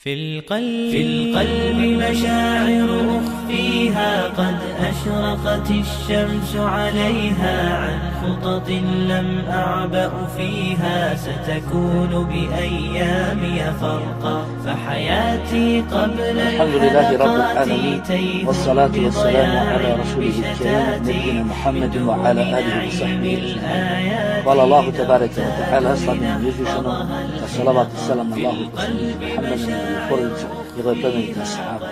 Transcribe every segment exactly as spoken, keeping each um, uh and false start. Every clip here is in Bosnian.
في القلب في القلب مشاعر أخفيها قد أشرقت الشمس عليها عن خطط لم أعبأ فيها ستكون بأيامي فرقا فحياتي قبل الحمد لله رب العالمين والصلاة والسلام على رسوله الكريم نبينا محمد وعلى آله وصحبه أجمعين. قال الله تبارك وتعالى صلى يزيشنا الصلاة والسلام الله محمد porodicu, njegove plemenite ashaabe.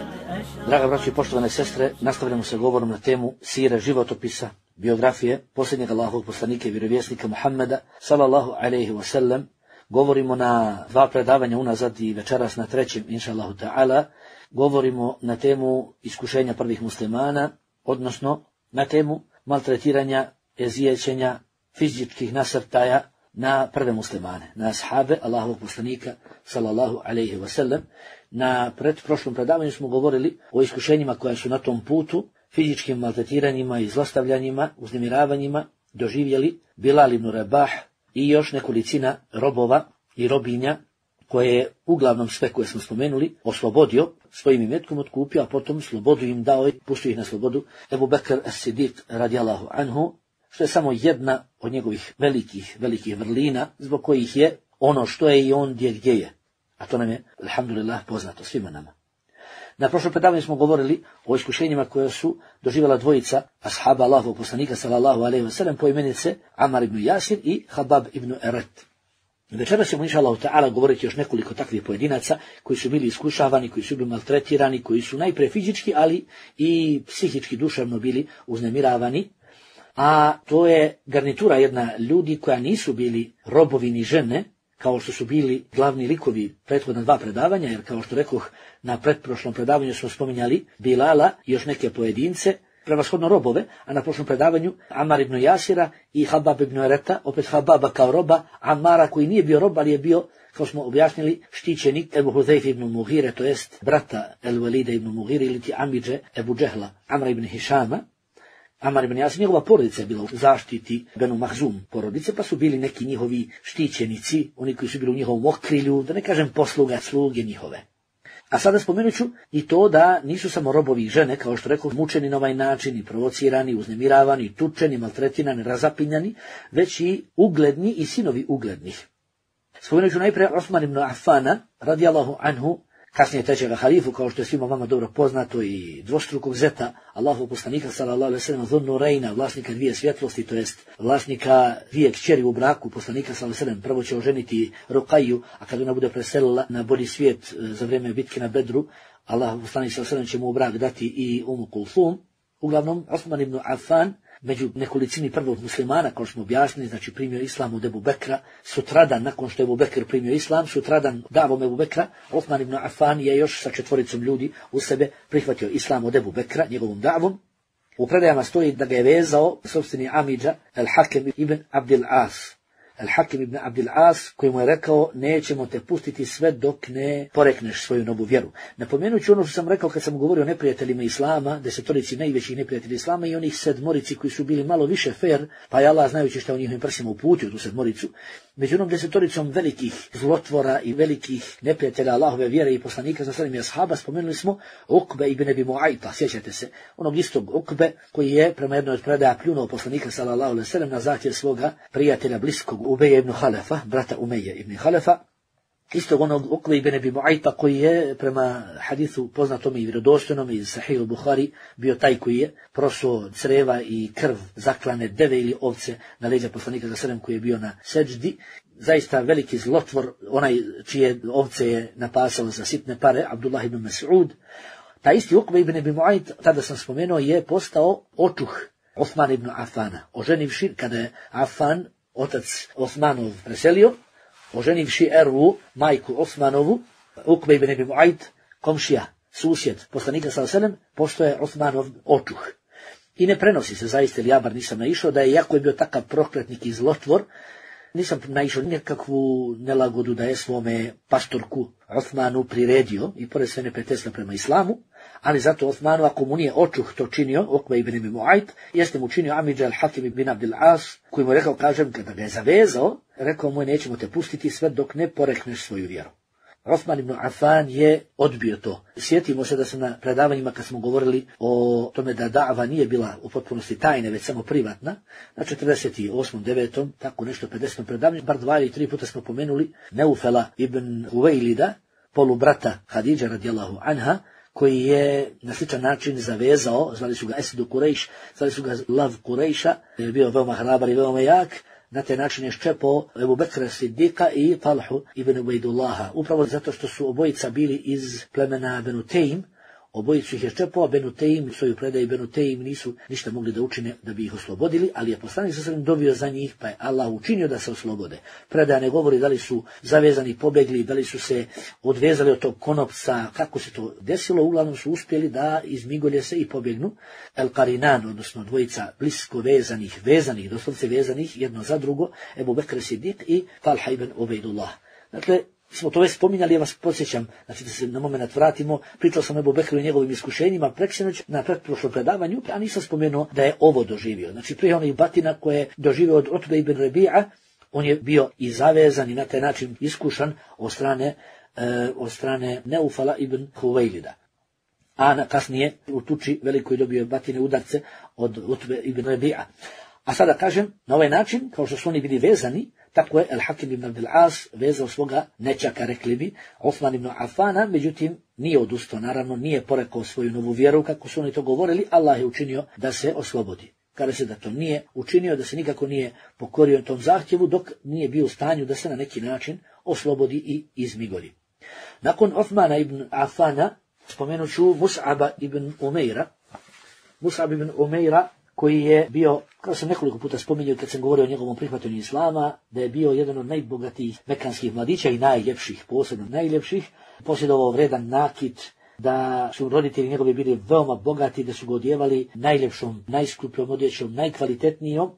Draga braćo i poštovane sestre, nastavljamo se govorom na temu sire, životopisa, biografije posljednjeg Allahovog poslanika i vjerovjesnika Muhammeda sallallahu alejhi ve sellem. Govorimo na dva predavanja unazad i večeras na trećem, inša Allahu ta'ala. Govorimo na temu iskušenja prvih muslimana, odnosno na temu maltretiranja, ezijećenja, fizičkih nasrtaja na prve muslimane, na ashabe Allahovog poslanika sallallahu alejhi ve sellem. Na pretprošlom predavanju smo govorili o iskušenjima koja su na tom putu, fizičkim maltretiranjima i zlostavljanjima, uznemiravanjima doživjeli Bilal ibn Rabah i još nekolicina robova i robinja koje je uglavnom sve koje smo spomenuli oslobodio, svojim imetkom otkupio, a potom slobodu im dao i pustio ih na slobodu Ebu Bekr as-Siddiq radijallahu anhu, što je samo jedna od njegovih velikih, velikih vrlina, zbog kojih je ono što je i on gdje gdje je. A to nam je, alhamdulillah, poznato svima nama. Na prošlom predavanju smo govorili o iskušenjima koje su doživjela dvojica ashaba Allahovog poslanika sallallahu alejhi ve sellem, po imenice Amar ibn Jasir i Habab ibn Eret. Večeras ćemo inša Allahu ta'ala govoriti još nekoliko takvih pojedinaca koji su bili iskušavani, koji su bili maltretirani, koji su najprije fizički, ali i psihički, duševno bili uznemiravani. A to je garnitura jedna ljudi koja nisu bili robovi ni žene, kao što su bili glavni likovi prethodna dva predavanja, jer kao što rekoh, na pretprošlom predavanju smo spominjali Bilala i još neke pojedince, prevashodno robove, a na prošlom predavanju Amar ibn Jasira i Habab ibn Ereta, opet Hababa kao roba, Amara koji nije bio rob, ali je bio, kao smo objasnili, štićenik Ebu Huzeyf ibn Mughire, to jest brata El Walida ibn Mughire ili ti Amidže Ebu Džehla, Amra ibn Hišama. Amar ibn Jasir, njegova porodica je bila u zaštiti Benu Mahzum porodice, pa su bili neki njihovi štićenici, oni koji su bili u njihovom okrilju, da ne kažem posluga, sluge njihove. A sada spomenut ću i to da nisu samo robovi i žene, kao što rekao, mučeni na ovaj način, i provocirani, uznemiravani, tučeni, maltretirani, razapinjani, već i ugledni i sinovi uglednih. Spomenut ću najprije Osman ibn Affana, radijallahu anhu, kasnije trećega halifu, kao što je svima vama dobro poznato, i dvostrukog zeta Allahovog poslanika sallallahu alejhi ve sellem, Dhun Rejna, vlasnika dvije svjetlosti, to jest vlasnika dvije kćeri u braku poslanika sallallahu alejhi ve sellem. Prvo će oženiti Ruqayyu, a kad ona bude preselila na bolji svijet za vrijeme bitke na Bedru, Allahov poslanik sallallahu alejhi ve sellem će mu u brak dati i Umu Kulthum. Uglavnom, Osman ibn Affan, među nekolicini prvog muslimana, kao što smo objasnili, znači primio islam od Ebu Bekra, sutradan, nakon što je Ebu Bekr primio islam, sutradan davom Ebu Bekra, Osman ibn Affan je još sa četvoricom ljudi u sebe prihvatio islam od Ebu Bekra, njegovom davom. U predajama stoji da ga je vezao sopstveni amidža Al-Hakim ibn Abdil As. Al-Hakim ibn Abdil As, koji mu je rekao, nećemo te pustiti sve dok ne porekneš svoju novu vjeru. Napomenut ću ono što sam rekao kad sam govorio o neprijateljima islama, desetorici najvećih neprijatelja islama i onih sedmorici koji su bili malo više fair, pa je Allah, znajući šta u njihovim prsima uputio tu sedmoricu, među onom desetoricom velikih zlotvora i velikih neprijatelja Allahove vjere i poslanika za srednjih ashaba, spomenuli smo Ukbe ibn Abi Mu'ayta, sjećate se, onog istog Ukbe koji je prema jednoj od predaja pljunuo poslanika sallallahu alejhi ve sellem na zahtjev svoga prijatelja bliskog Ubeja ibn Halefa, brata Umeje ibn Halefa, istog onog Ukbe ibn Abi Mu'ayta koji je prema hadisu poznatom i vjerodostojnom iz Sahih al-Buhari bio taj koji je prosuo creva i krv zaklane deve ili ovce na leđa poslanika za sedem koji je bio na seđdi. Zaista veliki zlotvor, onaj čije ovce je napasao za sitne pare, Abdullah ibn Mas'ud. Ta isti Ukbe ibn Abi Mu'ayt, tada sam spomenuo, je postao očuh Osman ibn Affana, oženivši kada je Affan, otac Osmanov, preselio, oženivši Ervu, majku Osmanovu, Ukbe ibn Abi Mu'ayt, komšija, susjed poslanika sallallahu alejhi ve sellem, postao je Osmanov očuh. I ne prenosi se, zaista ili ja bar nisam naišao, da je, jako je bio takav prokletnik i zlotvor, nisam naišao nikakvu nelagodu da je svome pastorku Osmanu priredio i pored sve neprijateljstva prema islamu, ali zato Osmanu, ako mu nije očuh to činio, Ukbe ibn Abi Mu'ayt, jeste mu činio amidža Al-Hakim ibn Abdil As, koji mu rekao, kažem, kada ga je zavezao, rekao mu, nećemo te pustiti sve dok ne porekneš svoju vjeru. Osman ibn Affan je odbio to. Sjetimo se da se na predavanjima kad smo govorili o tome da da'va nije bila u potpunosti tajne, već samo privatna, na četrdeset osmom, devetom, tako nešto pedesetom predavanju, bar dva ili tri puta smo pomenuli Neufela ibn Huvejlida, polubrata Hadidže radijallahu anha, koji je na sličan način zavezao, zvali su ga Esidu Kurejš, zvali su ga Lav Kurejša, je bio veoma hrabar i veoma jak. Na taj način je ščepao Ebu Bekra Siddiqa i Talhu ibn Ubejdullaha. Upravo zato što su obojica bili iz plemena Benu Tejm, obojicu ih je ščepao, Benu Tejm, svoju predaju Benu Tejm nisu ništa mogli da učine da bi ih oslobodili, ali je poslanik sa sredem dobio za njih, pa je Allah učinio da se oslobode. Predaja ne govori da li su zavezani, pobegli, da li su se odvezali od tog konopca, kako se to desilo, uglavnom su uspjeli da izmigolje se i pobegnu. El Qarinan, odnosno dvojica blisko vezanih, vezanih, doslovce vezanih, jedno za drugo, Ebu Bekr Siddiq i Talha ibn Ubejdullah. Dakle, smo to već spominjali, ja vas podsjećam, znači da se na moment vratimo, pričao sam o Ebu Bekru i njegovim iskušenjima preksinoć na pretprošlom predavanju, a nisam spomenuo da je ovo doživio. Znači prije onih batina koje je doživio od Utbe ibn Rabi'a, on je bio i zavezan i na taj način iskušan od strane, e, od strane Neufala ibn Huvejlida. A na kasnije u tuči velikoj dobio batine udarce od Utbe ibn Rabi'a. A sada kažem, na ovaj način, kao što su oni bili vezani, tako je El Hakim ibn Abdel As vezao svoga nečaka, rekli bi, Osman ibn Affana, međutim nije odustao, naravno nije porekao svoju novu vjeru, kako su oni to govorili, Allah je učinio da se oslobodi. Kada se da to nije učinio, da se nikako nije pokorio tom zahtjevu, dok nije bio u stanju da se na neki način oslobodi i izmigoli. Nakon Osmana ibn Affana, spomenut ću Mus'aba ibn Umeira, Mus'ab ibn Umeira, koji je bio, kao sam nekoliko puta spominjao kad sam govorio o njegovom prihvatanju islama, da je bio jedan od najbogatijih mekanskih mladića i najljepših, posebno najljepših, posjedovao vredan nakit, da su roditelji njegovi bili veoma bogati, da su ga odjevali najljepšom, najskupljom odjećom, najkvalitetnijom.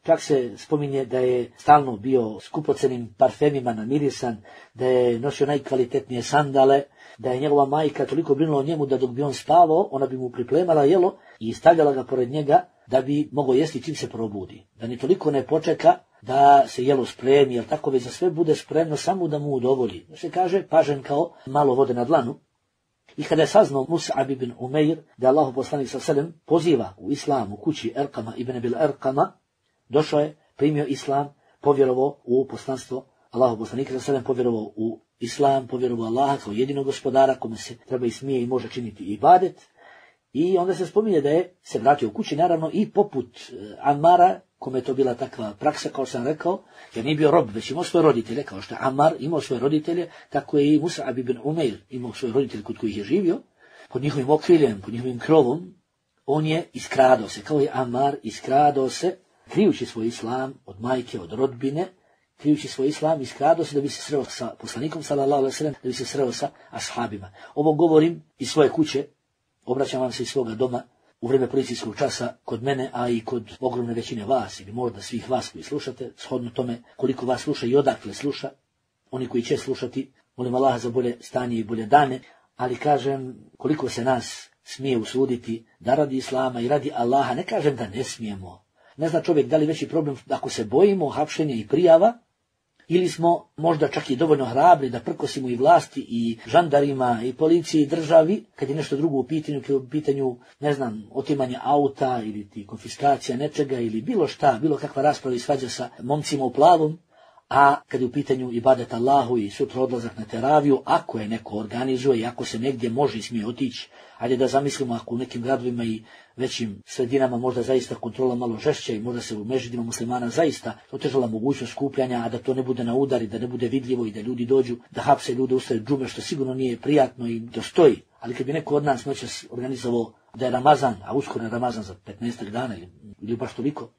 Čak se spominje da je stalno bio skupocenim parfemima namirisan, da je nosio najkvalitetnije sandale, da je njegova majka toliko brinula o njemu da dok bi on spavao, ona bi mu pripremala jelo i stavljala ga pored njega da bi mogao jesti čim se probudi. Da ni toliko ne počeka da se jelo spremi, jer tako već za sve bude spremno samo da mu udovolji. Da se kaže, pažen kao malo vode na dlanu. I kada je saznao Mus'ab ibn Umeir da Allahu poslanik sallallahu alejhi ve sellem poziva u islam u kući Erkama ibn Abil Erkama, došao je, primio islam, povjerovao u poslanstvo Allahu poslanika sallallahu alejhi ve sellem, povjerovao u islam, povjerovao Allaha kao jedinog gospodara kome se treba i smije i može činiti ibadet. I onda se spominje da je se vratio u kući, naravno i poput Amara, kome je to bila takva praksa, kao sam rekao, jer nije bio rob, već imao svoje roditelje, kao što je Amar imao svoje roditelje, tako je i Mus'ab ibn Umeir imao svoje roditelje kod kojih je živio, pod njihovim okriljem, pod njihovim krovom, on je iskradao se, kao je Amar iskradao se, krijući svoj islam od majke, od rodbine, krijući svoj islam, iskradao se da bi se sreo sa poslanikom, sallallahu alejhi ve sellem, da bi se sreo sa ashabima. Ovo govorim iz svoje kuće, obraćam vam se iz svoga doma, u vrijeme policijskog časa kod mene, a i kod ogromne većine vas, ili možda svih vas koji slušate, shodno tome koliko vas sluša i odakle sluša, oni koji će slušati, molim Allaha za bolje stanje i bolje dane, ali kažem koliko se nas smije usuditi da radi islama i radi Allaha, ne kažem da ne smijemo. Ne zna čovjek da li veći problem ako se bojimo hapšenja i prijava, ili smo možda čak i dovoljno hrabri da prkosimo i vlasti i žandarima i policiji i državi, kad je nešto drugo u pitanju, kad je u pitanju, ne znam, otimanje auta ili ti konfiskacija nečega ili bilo šta, bilo kakva rasprava i svađa sa momcima u plavom, a kad je u pitanju ibadet Allahu i sutra odlazak na teraviju, ako je neko organizuje i ako se negdje može i smije otići, ajde da zamislimo ako u nekim gradovima i većim sredinama možda zaista kontrola malo žešća i možda se u mežidima muslimana zaista otežala mogućnost skupljanja, a da to ne bude na udari, da ne bude vidljivo i da ljudi dođu da hapse ljude usred džume, što sigurno nije prijatno i to stoji. Ali kad bi neko od nas noćas organizovao da je Ramazan, a uskoro je Ramazan za petnaestak dana ili, ili baš toliko,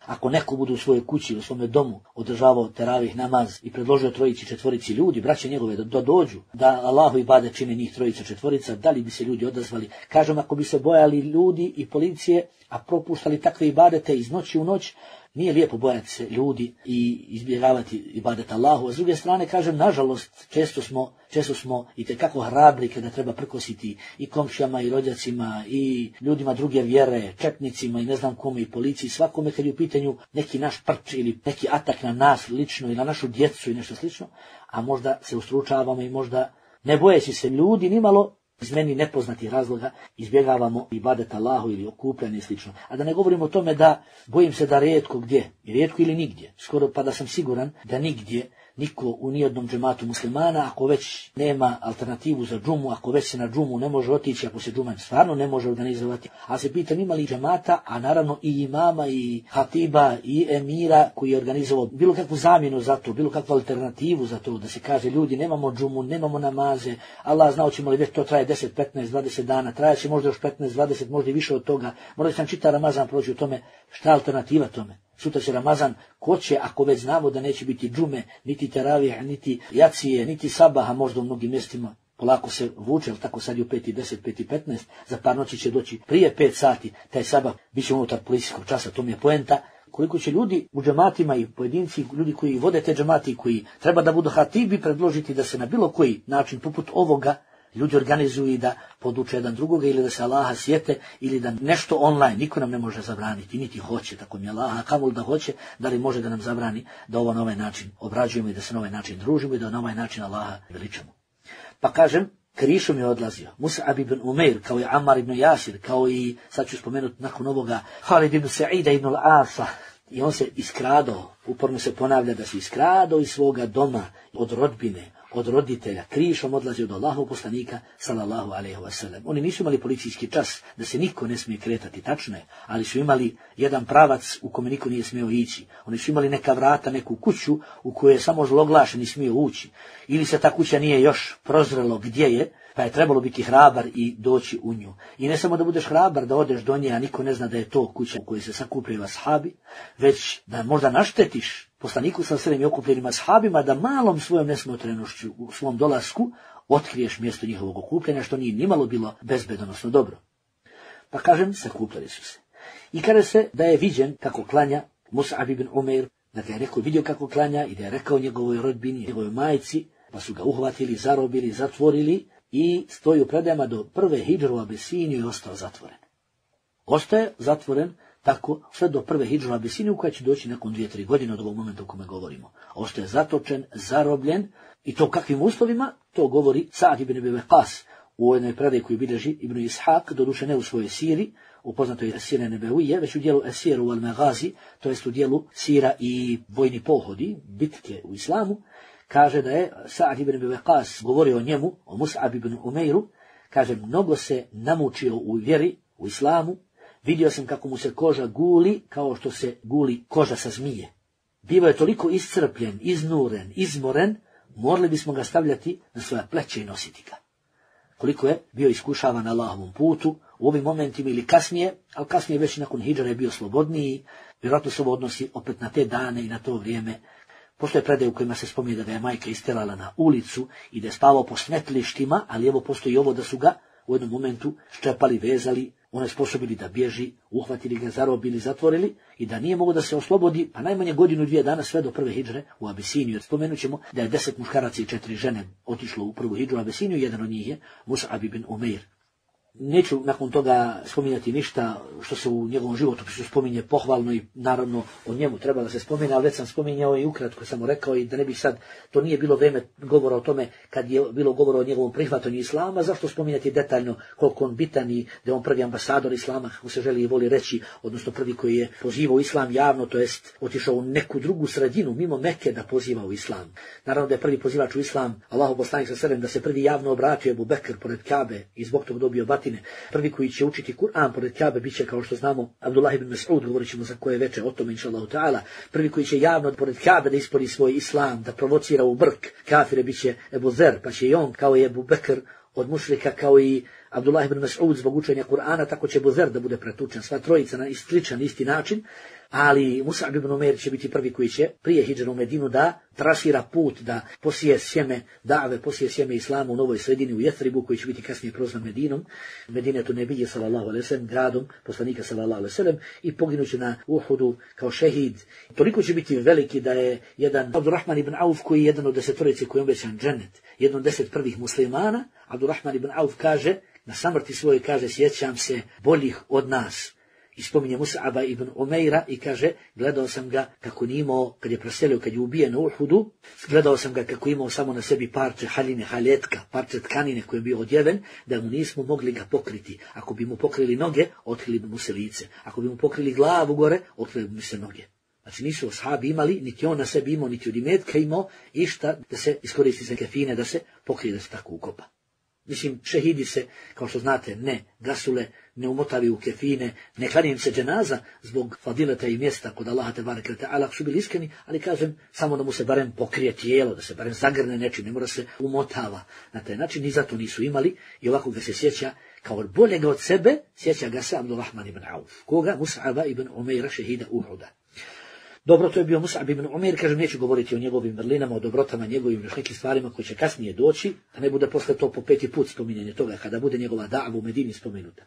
ako neko bude u svojoj kući, u svome domu održavao teravih namaz i predložio trojici četvorici ljudi, braće njegove, da, da dođu, da Allahu ibadet čine njih trojica četvorica, da li bi se ljudi odazvali? Kažem, ako bi se bojali ljudi i policije, a propuštali takve ibadete iz noći u noć, nije lijepo bojati se ljudi i izbjegavati ibadet Allahu, a s druge strane kažem, nažalost, često smo, često smo i tekako hrabri kada treba prkositi i komšijama i rođacima i ljudima druge vjere, četnicima i ne znam kome i policiji, svakome kad je u pitanju neki naš prč ili neki atak na nas lično i na našu djecu i nešto slično, a možda se ustručavamo i možda ne bojeći se ljudi nimalo, iz meni nepoznatih razloga izbjegavamo ibadet Allahu ili okupljanje i slično. A da ne govorimo o tome da bojim se da rijetko gdje, rijetko ili nigdje, skoro pa da sam siguran da nigdje niko u nijednom džematu muslimana, ako već nema alternativu za džumu, ako već se na džumu ne može otići, ako se džuma stvarno ne može organizovati, a se pitam ima li džemata, a naravno i imama, i hatiba, i emira koji je organizovao bilo kakvu zamjenu za to, bilo kakvu alternativu za to, da se kaže ljudi nemamo džumu, nemamo namaze, Allah zna hoćemo li već to traje deset, petnaest, dvadeset dana, traje će možda još petnaest, dvadeset, možda i više od toga, možda će nam čita Ramazan proći u tome, šta je alternativa tome? Sutra će Ramazan, ko će, ako već znamo da neće biti džume, niti teravije, niti jacije, niti sabaha, možda u mnogim mjestima, polako se vuče, ali tako sad je u pet i deset, pet i petnaest, za par noći će doći prije pet sati, taj sabah bit će unutar policijskog časa, to mi je poenta. Koliko će ljudi u džematima i pojedinci, ljudi koji vode te džemati, koji treba da budu hatibi, predložiti da se na bilo koji način, poput ovoga, ljudi organizuju i da poduče jedan drugoga ili da se Allaha sjete ili da nešto online, niko nam ne može zabraniti, niti hoće, tako mi Allaha, kamoli da hoće, da li može da nam zabrani da ovo na ovaj način obrađujemo i da se na ovaj način družimo i da na ovaj način Allaha veličamo. Pa kažem, krišom je odlazio Mus'ab ibn Umair, kao i Ammar ibn Jasir, kao i, sad ću spomenuti nakon ovoga, Halid ibn Sa'ida ibn al-Asa, i on se iskradao, uporno se ponavlja da se iskradao iz svoga doma, od rodbine, od roditelja, krišom odlazi od Allahovog poslanika, sallallahu alejhi ve sellem. Oni nisu imali policijski čas da se niko ne smije kretati, tačno je, ali su imali jedan pravac u kome niko nije smio ići. Oni su imali neka vrata, neku kuću u kojoj je samo zloglašeni smio ući. Ili se ta kuća nije još prozrelo gdje je, pa je trebalo biti hrabar i doći u nju. I ne samo da budeš hrabar, da odeš do nje, a niko ne zna da je to kuća u kojoj se sakupljaju ashabi, već da možda naštetiš poslaniku sa srednjim okupljenim ashabima, da malom svojom nesmotrenošću u svom dolasku otkriješ mjesto njihovog okupljanja, što nije nimalo bilo bezbedonosno dobro. Pa kažem, sakupljali su se. I kada se da je viđen kako klanja Mus'ab ibn Umair, da ga je rekao, vidio kako klanja i da je rekao njegovoj rodbini, njegovoj majci, pa su ga uhvatili, zarobili, zatvorili i stoji u predajama do prve hidžre u Abesiniju i ostao zatvoren. Ostaje zatvoren tako sve do prve hidžre u Abesiniju koja će doći nakon dvije, tri godine od ovog momenta o kome govorimo. Ostaje zatočen, zarobljen i to kakvim uslovima, to govori Sa'd ibn Abi Waqqas u jednoj predaji koju bilježi Ibn Ishaq, doduše ne u svojoj siri, u poznatoj Sire Nebevije, već u dijelu Esiru wal Maghazi, to jest u dijelu sira i vojni pohodi, bitke u islamu, kaže da je Sa'd ibn Abi Waqqas govorio o njemu, o Mus'ab ibn Umairu, kaže, mnogo se namučio u vjeri, u islamu, vidio sam kako mu se koža guli kao što se guli koža sa zmije. Bivo je toliko iscrpljen, iznuren, izmoren, morali bismo ga stavljati na svoja pleća i nositi ga. Koliko je bio iskušavan na Allahovom putu, u ovim momentima ili kasnije, ali kasnije već nakon hidžre je bio slobodniji, vjerojatno se ovo odnosi opet na te dane i na to vrijeme. Postoje predaje u kojima se spominje da ga je majka isterala na ulicu i da je spavao po smetlištima, ali evo postoji ovo da su ga u jednom momentu ščepali, vezali, onesposobili da bježi, uhvatili ga, zarobili, zatvorili i da nije mogo da se oslobodi, pa najmanje godinu, dvije dana sve do prve hidžre u Abesiniju. Spomenut ćemo da je deset muškaraca i četiri žene otišlo u prvu hidžru u Abesiniju, jedan od njih je Mus'ab ibn Umair. Neću nakon toga spominjati ništa što se u njegovom životopisu spominje pohvalno i naravno o njemu treba da se spomine, ali već sam spominjao i ukratko samo rekao i da ne bih sad, to nije bilo vrijeme govora o tome kad je bilo govora o njegovom prihvatanju islama, zašto spominjati detaljno koliko on bitan i da je on prvi ambasador islama, kako se želi i voli reći, odnosno prvi koji je pozivao islam javno, to jest otišao u neku drugu sredinu mimo Mekke da poziva u islam. Naravno da je prvi pozivač u islam, Allahov poslanik sallallahu alejhi ve sellem, da se prvi javno obratio Ebu Bekr pored Kabe i zbog tog dobio batine. Prvi koji će učiti Kur'an pored Kabe biće, kao što znamo, Abdullah ibn Mas'ud, govorit ćemo za koje veče o tome, inšallahu ta'ala. Prvi koji će javno pored Kabe da ispoli svoj islam, da provocira u brk kafire, biće Ebu Zer, pa će i on, kao i Ebu Bekr, od mušrika, kao i Abdullah ibn Mas'ud zbog učenja Kur'ana, tako će Buzer da bude pretučen, sva trojica na sličan isti način, ali Mus'ab ibn Umair će biti prvi koji će prije hidžre u Medinu da trasira put, da posije sjeme da've, posije sjeme islama u novoj sredini u Jethribu, koji će biti kasnije prozvan Medinom, Medinetu nebije sallallahu alejhi ve sellem, gradom poslanika sallallahu alejhi ve sellem, i poginuće na Uhudu kao šehid. Toliko će biti veliki da je jedan Abdurrahman ibn Auf, koji je jedan od desetorice koji je obećan džennet, jedan od deset prvih muslimana, Abdurrahman ibn Auf kaže, na samrti svojoj kaže, sjećam se boljih od nas. I spominje Mus'aba ibn Umeira i kaže, gledao sam ga kako nije imao, kad je preselio, kad je ubijen na Uhudu, gledao sam ga kako imao samo na sebi parče haline, haletka, parče tkanine koje je bio odjeven, da mu nismo mogli ga pokriti. Ako bi mu pokrili noge, otkrili bi mu se lice. Ako bi mu pokrili glavu gore, otkrili bi mu se noge. Znači nisu ashabi imali, niti on na sebi imao, niti od imetka imao, išta da se iskoristi za kefine, da se pokrije, da se tako ukopa. Mislim, šehidi se, kao što znate, ne gasule, ne umotavi u kefine, ne klanjaju se dženaza zbog fadileta i mjesta kod Allaha tebareke ve taala, su bili iskreni, ali kažem, samo da mu se barem pokrije tijelo, da se barem zagrne nečim, ne mora se umotava. Na taj način ni zato nisu imali i ovako ga se sjeća kao boljega od sebe, sjeća ga se Abdurrahman ibn Auf, koga Mus'aba ibn Umeira, šehida Uhuda. Dobro, to je bio Mus'ab ibn Umair, kažem, neću govoriti o njegovim vrlinama, o dobrotama, njegovim još nekim stvarima koji će kasnije doći, da ne bude posle to po peti put spominjanje toga, kada bude njegova da'va u Medini spomenuta.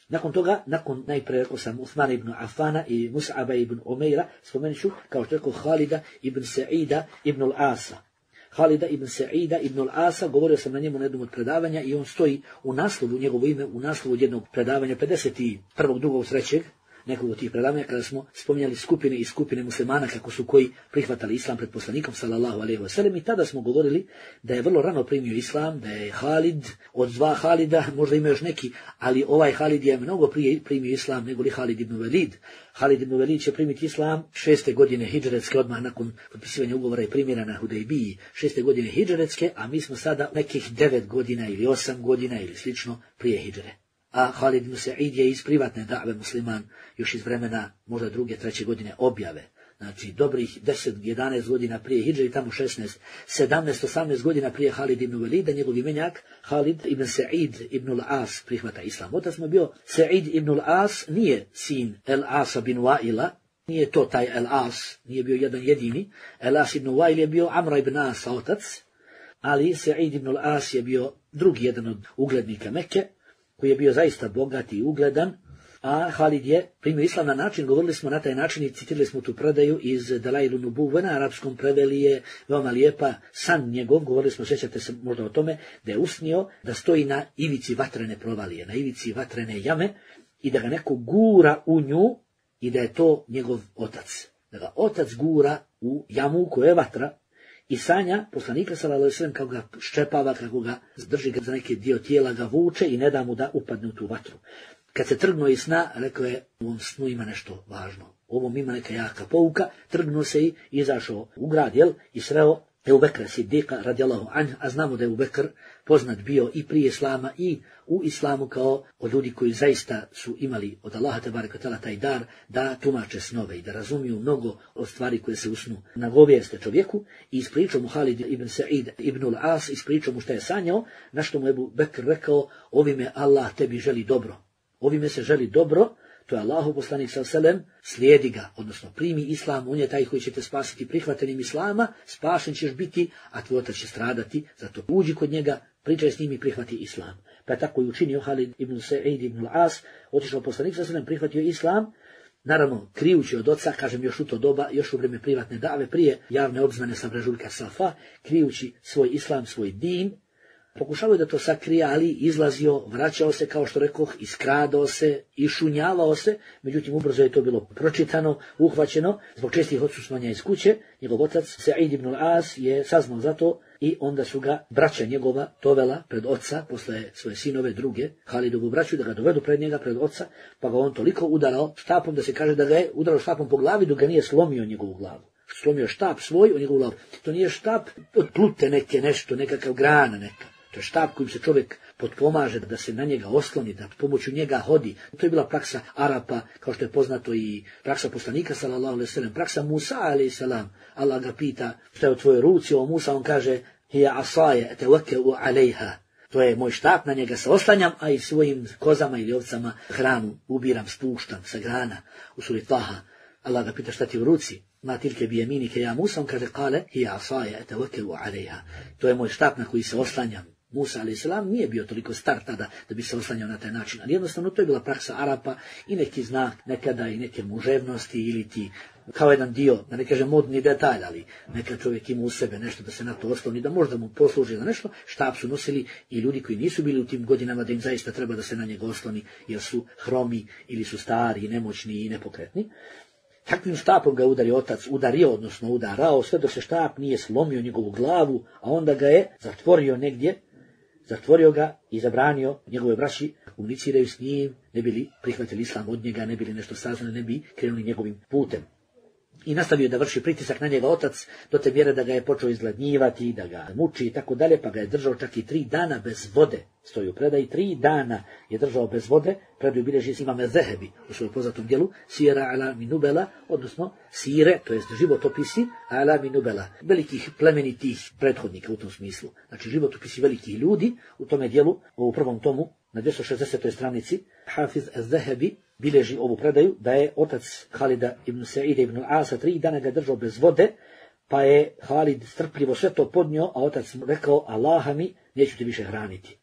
Nakon toga, nakon najprije rekao sam Uthman ibn Affana i Mus'aba ibn Umaira, spomenut ću, kao što rekao, Halida ibn Sa'ida ibn al-Asa. Halida ibn Sa'ida ibn al-Asa, govorio sam na njemu na jednom od predavanja i on stoji u naslovu, njegovo ime, u naslovu od jednog predavanja, pedeset prvog, drugog, trećeg, nekog od tih predavanja, kada smo spominjali skupine i skupine muslimana kako su koji prihvatali islam pred poslanikom sallallahu alejhi ve sellem, i tada smo govorili da je vrlo rano primio islam, da je Halid od dva Halida, možda ima još neki, ali ovaj Halid je mnogo prije primio islam nego li Halid ibn Velid. Halid ibn Velid će primiti islam šeste godine hidžretske, odmah nakon potpisivanja ugovora i primjera na Hudejbiji, šeste godine hidžretske, a mi smo sada nekih devet godina ili osam godina ili slično prije hidžre. A Halid ibn Sa'id je iz privatne da've musliman još iz vremena možda druge, treće godine objave. Znači dobrih deset, jedanaest godina prije hidže i tamo šesnaest, sedamnaest, osamnaest godina prije Halid ibn Velida, njegov imenjak Halid ibn Sa'id ibn al-As prihvata islam. Otac mu bio Sa'id ibn al-As, nije sin el-Asa bin Wa'ila, nije to taj el-As, nije bio jedan jedini. El-As ibn Wa'il je bio Amra ibn Asa otac, ali Sa'id ibn al-As je bio drugi jedan od uglednika Mekke, koji je bio zaista bogat i ugledan, a Halid je primio islam na način, govorili smo na taj način i citirali smo tu predaju iz Dalailu Nubuve, na arapskom preveli je veoma lijepa san njegov, govorili smo, sjećate se možda o tome, da je usnio da stoji na ivici vatrene provalije, na ivici vatrene jame i da ga neko gura u nju i da je to njegov otac. Da ga otac gura u jamu koja je vatra, i sanja poslanika sallallahu alejhi ve sellem kako ga ščepava, kako ga drži ga za neki dio tijela, ga vuče i ne da mu da upadne u tu vatru. Kad se trgnuo iz sna, rekao je, u ovom snu ima nešto važno, u ovom ima neka jaka pouka, trgnuo se i izašao u grad, jel, i sreo Ebu Bekra Siddiqa radijallahu anhu, a znamo da je Ebu Bekr poznat bio i prije islama i u islamu kao od ljudi koji zaista su imali od Allaha tebareke ve taala taj dar da tumače snove i da razumiju mnogo od stvari koje se u snu nagovijeste čovjeku, i ispričao mu Halid ibn Sa'id ibn al-As, ispričao mu šta je sanjao, na što mu Ebu Bekr rekao, ovime Allah tebi želi dobro, ovime se želi dobro, to je Allahu poslanik sallallahu alejhi ve sellem, slijedi ga, odnosno primi islam, on je taj koji će te spasiti prihvatanjem islama, spašen ćeš biti, a tvoj otac će stradati, zato uđi kod njega, pričaj s njim i prihvati islam. Pa je tako i učinio Halid ibn Sa'id ibn al-As, otišao poslanik sallallahu alejhi ve sellem, prihvatio islam, naravno krijući od oca, kažem još u to doba, još u vrijeme privatne da've, prije javne obznane sa brežuljka Safa, krijući svoj islam, svoj din, pokušavao da to sakrije, ali izlazio, vraćao se, kao što rekoh, iskradao se, išunjavao se, međutim ubrzo je to bilo pročitano, uhvaćeno, zbog čestih odsustvovanja iz kuće. Njegov otac, Sa'id ibn al-As, je saznao za to i onda su ga braća njegova dovela pred oca, posle svoje sinove druge, Halidovu braću, da ga dovedu pred njega, pred oca, pa ga on toliko udarao štapom, da se kaže da ga je udarao štapom po glavi, dok ga nije slomio njegovu glavu. Slomio štap svoj u njegovu glavu. To nije štap od plute neke, nešto, nekakav grana neka. To je štap kojim se čovjek potpomaže da se na njega osloni, da pomoću njega hodi. To je bila praksa Arapa, kao što je poznato i praksa poslanika sallallahu alejhi ve sellem, praksa Musa alejhi selam. Allah ga pita šta je u tvojoj ruci, o Musa on kaže: "Hiya asaye atawakkau alejha." To je moj štap, na njega se oslanjam, a i svojim kozama ili ovcama hranu ubiram, spuštam sa grana. U suri Taha Allah ga pita šta ti u ruci. Ma tilke bi jeminike ja Musa, on kaže kale hiya asaja etawakkalu alejha. To je moj štap na koji se oslanjam. Musa alejhi selam nije bio toliko star tada da bi se oslanjao na taj način, ali jednostavno to je bila praksa Arapa i neki znak nekada i neke muževnosti ili ti kao jedan dio, da ne kažem modni detalj, ali neka čovjek ima u sebe nešto da se na to osloni, da možda mu posluži za nešto. Štab su nosili i ljudi koji nisu bili u tim godinama da im zaista treba da se na njega osloni jer su hromi ili su stari, nemoćni i nepokretni. Takvim štapom ga udari otac, udario, odnosno udarao, sve dok se štap nije slomio njegovu glavu, a onda ga je zatvorio negdje, zatvorio ga i zabranio njegove braći komuniciraju s njim, ne bili prihvatili islam od njega, ne bili nešto saznali, ne bi krenuli njegovim putem. I nastavio da vrši pritisak na njega otac do te mjere da ga je počeo izgladnjivati, da ga muči i tako dalje, pa ga je držao čak i tri dana bez vode. Stoji u predaji, tri dana je držao bez vode, predaju bilježi imam Zehebi u svojom poznatom djelu, Sira ala minubela, odnosno sire, to jest životopisi ala minubela, velikih plemenitih prethodnika u tom smislu. Znači životopisi velikih ljudi u tome djelu, u prvom tomu, na dvjesto šezdesetoj stranici, Hafiz Zehebi bilježi ovu predaju da je otac Halida ibn Sa'ida ibn Asa tri dana ga držao bez vode, pa je Halid strpljivo sve to podnio, a otac mu rekao, Allaha mi, neću te više hraniti.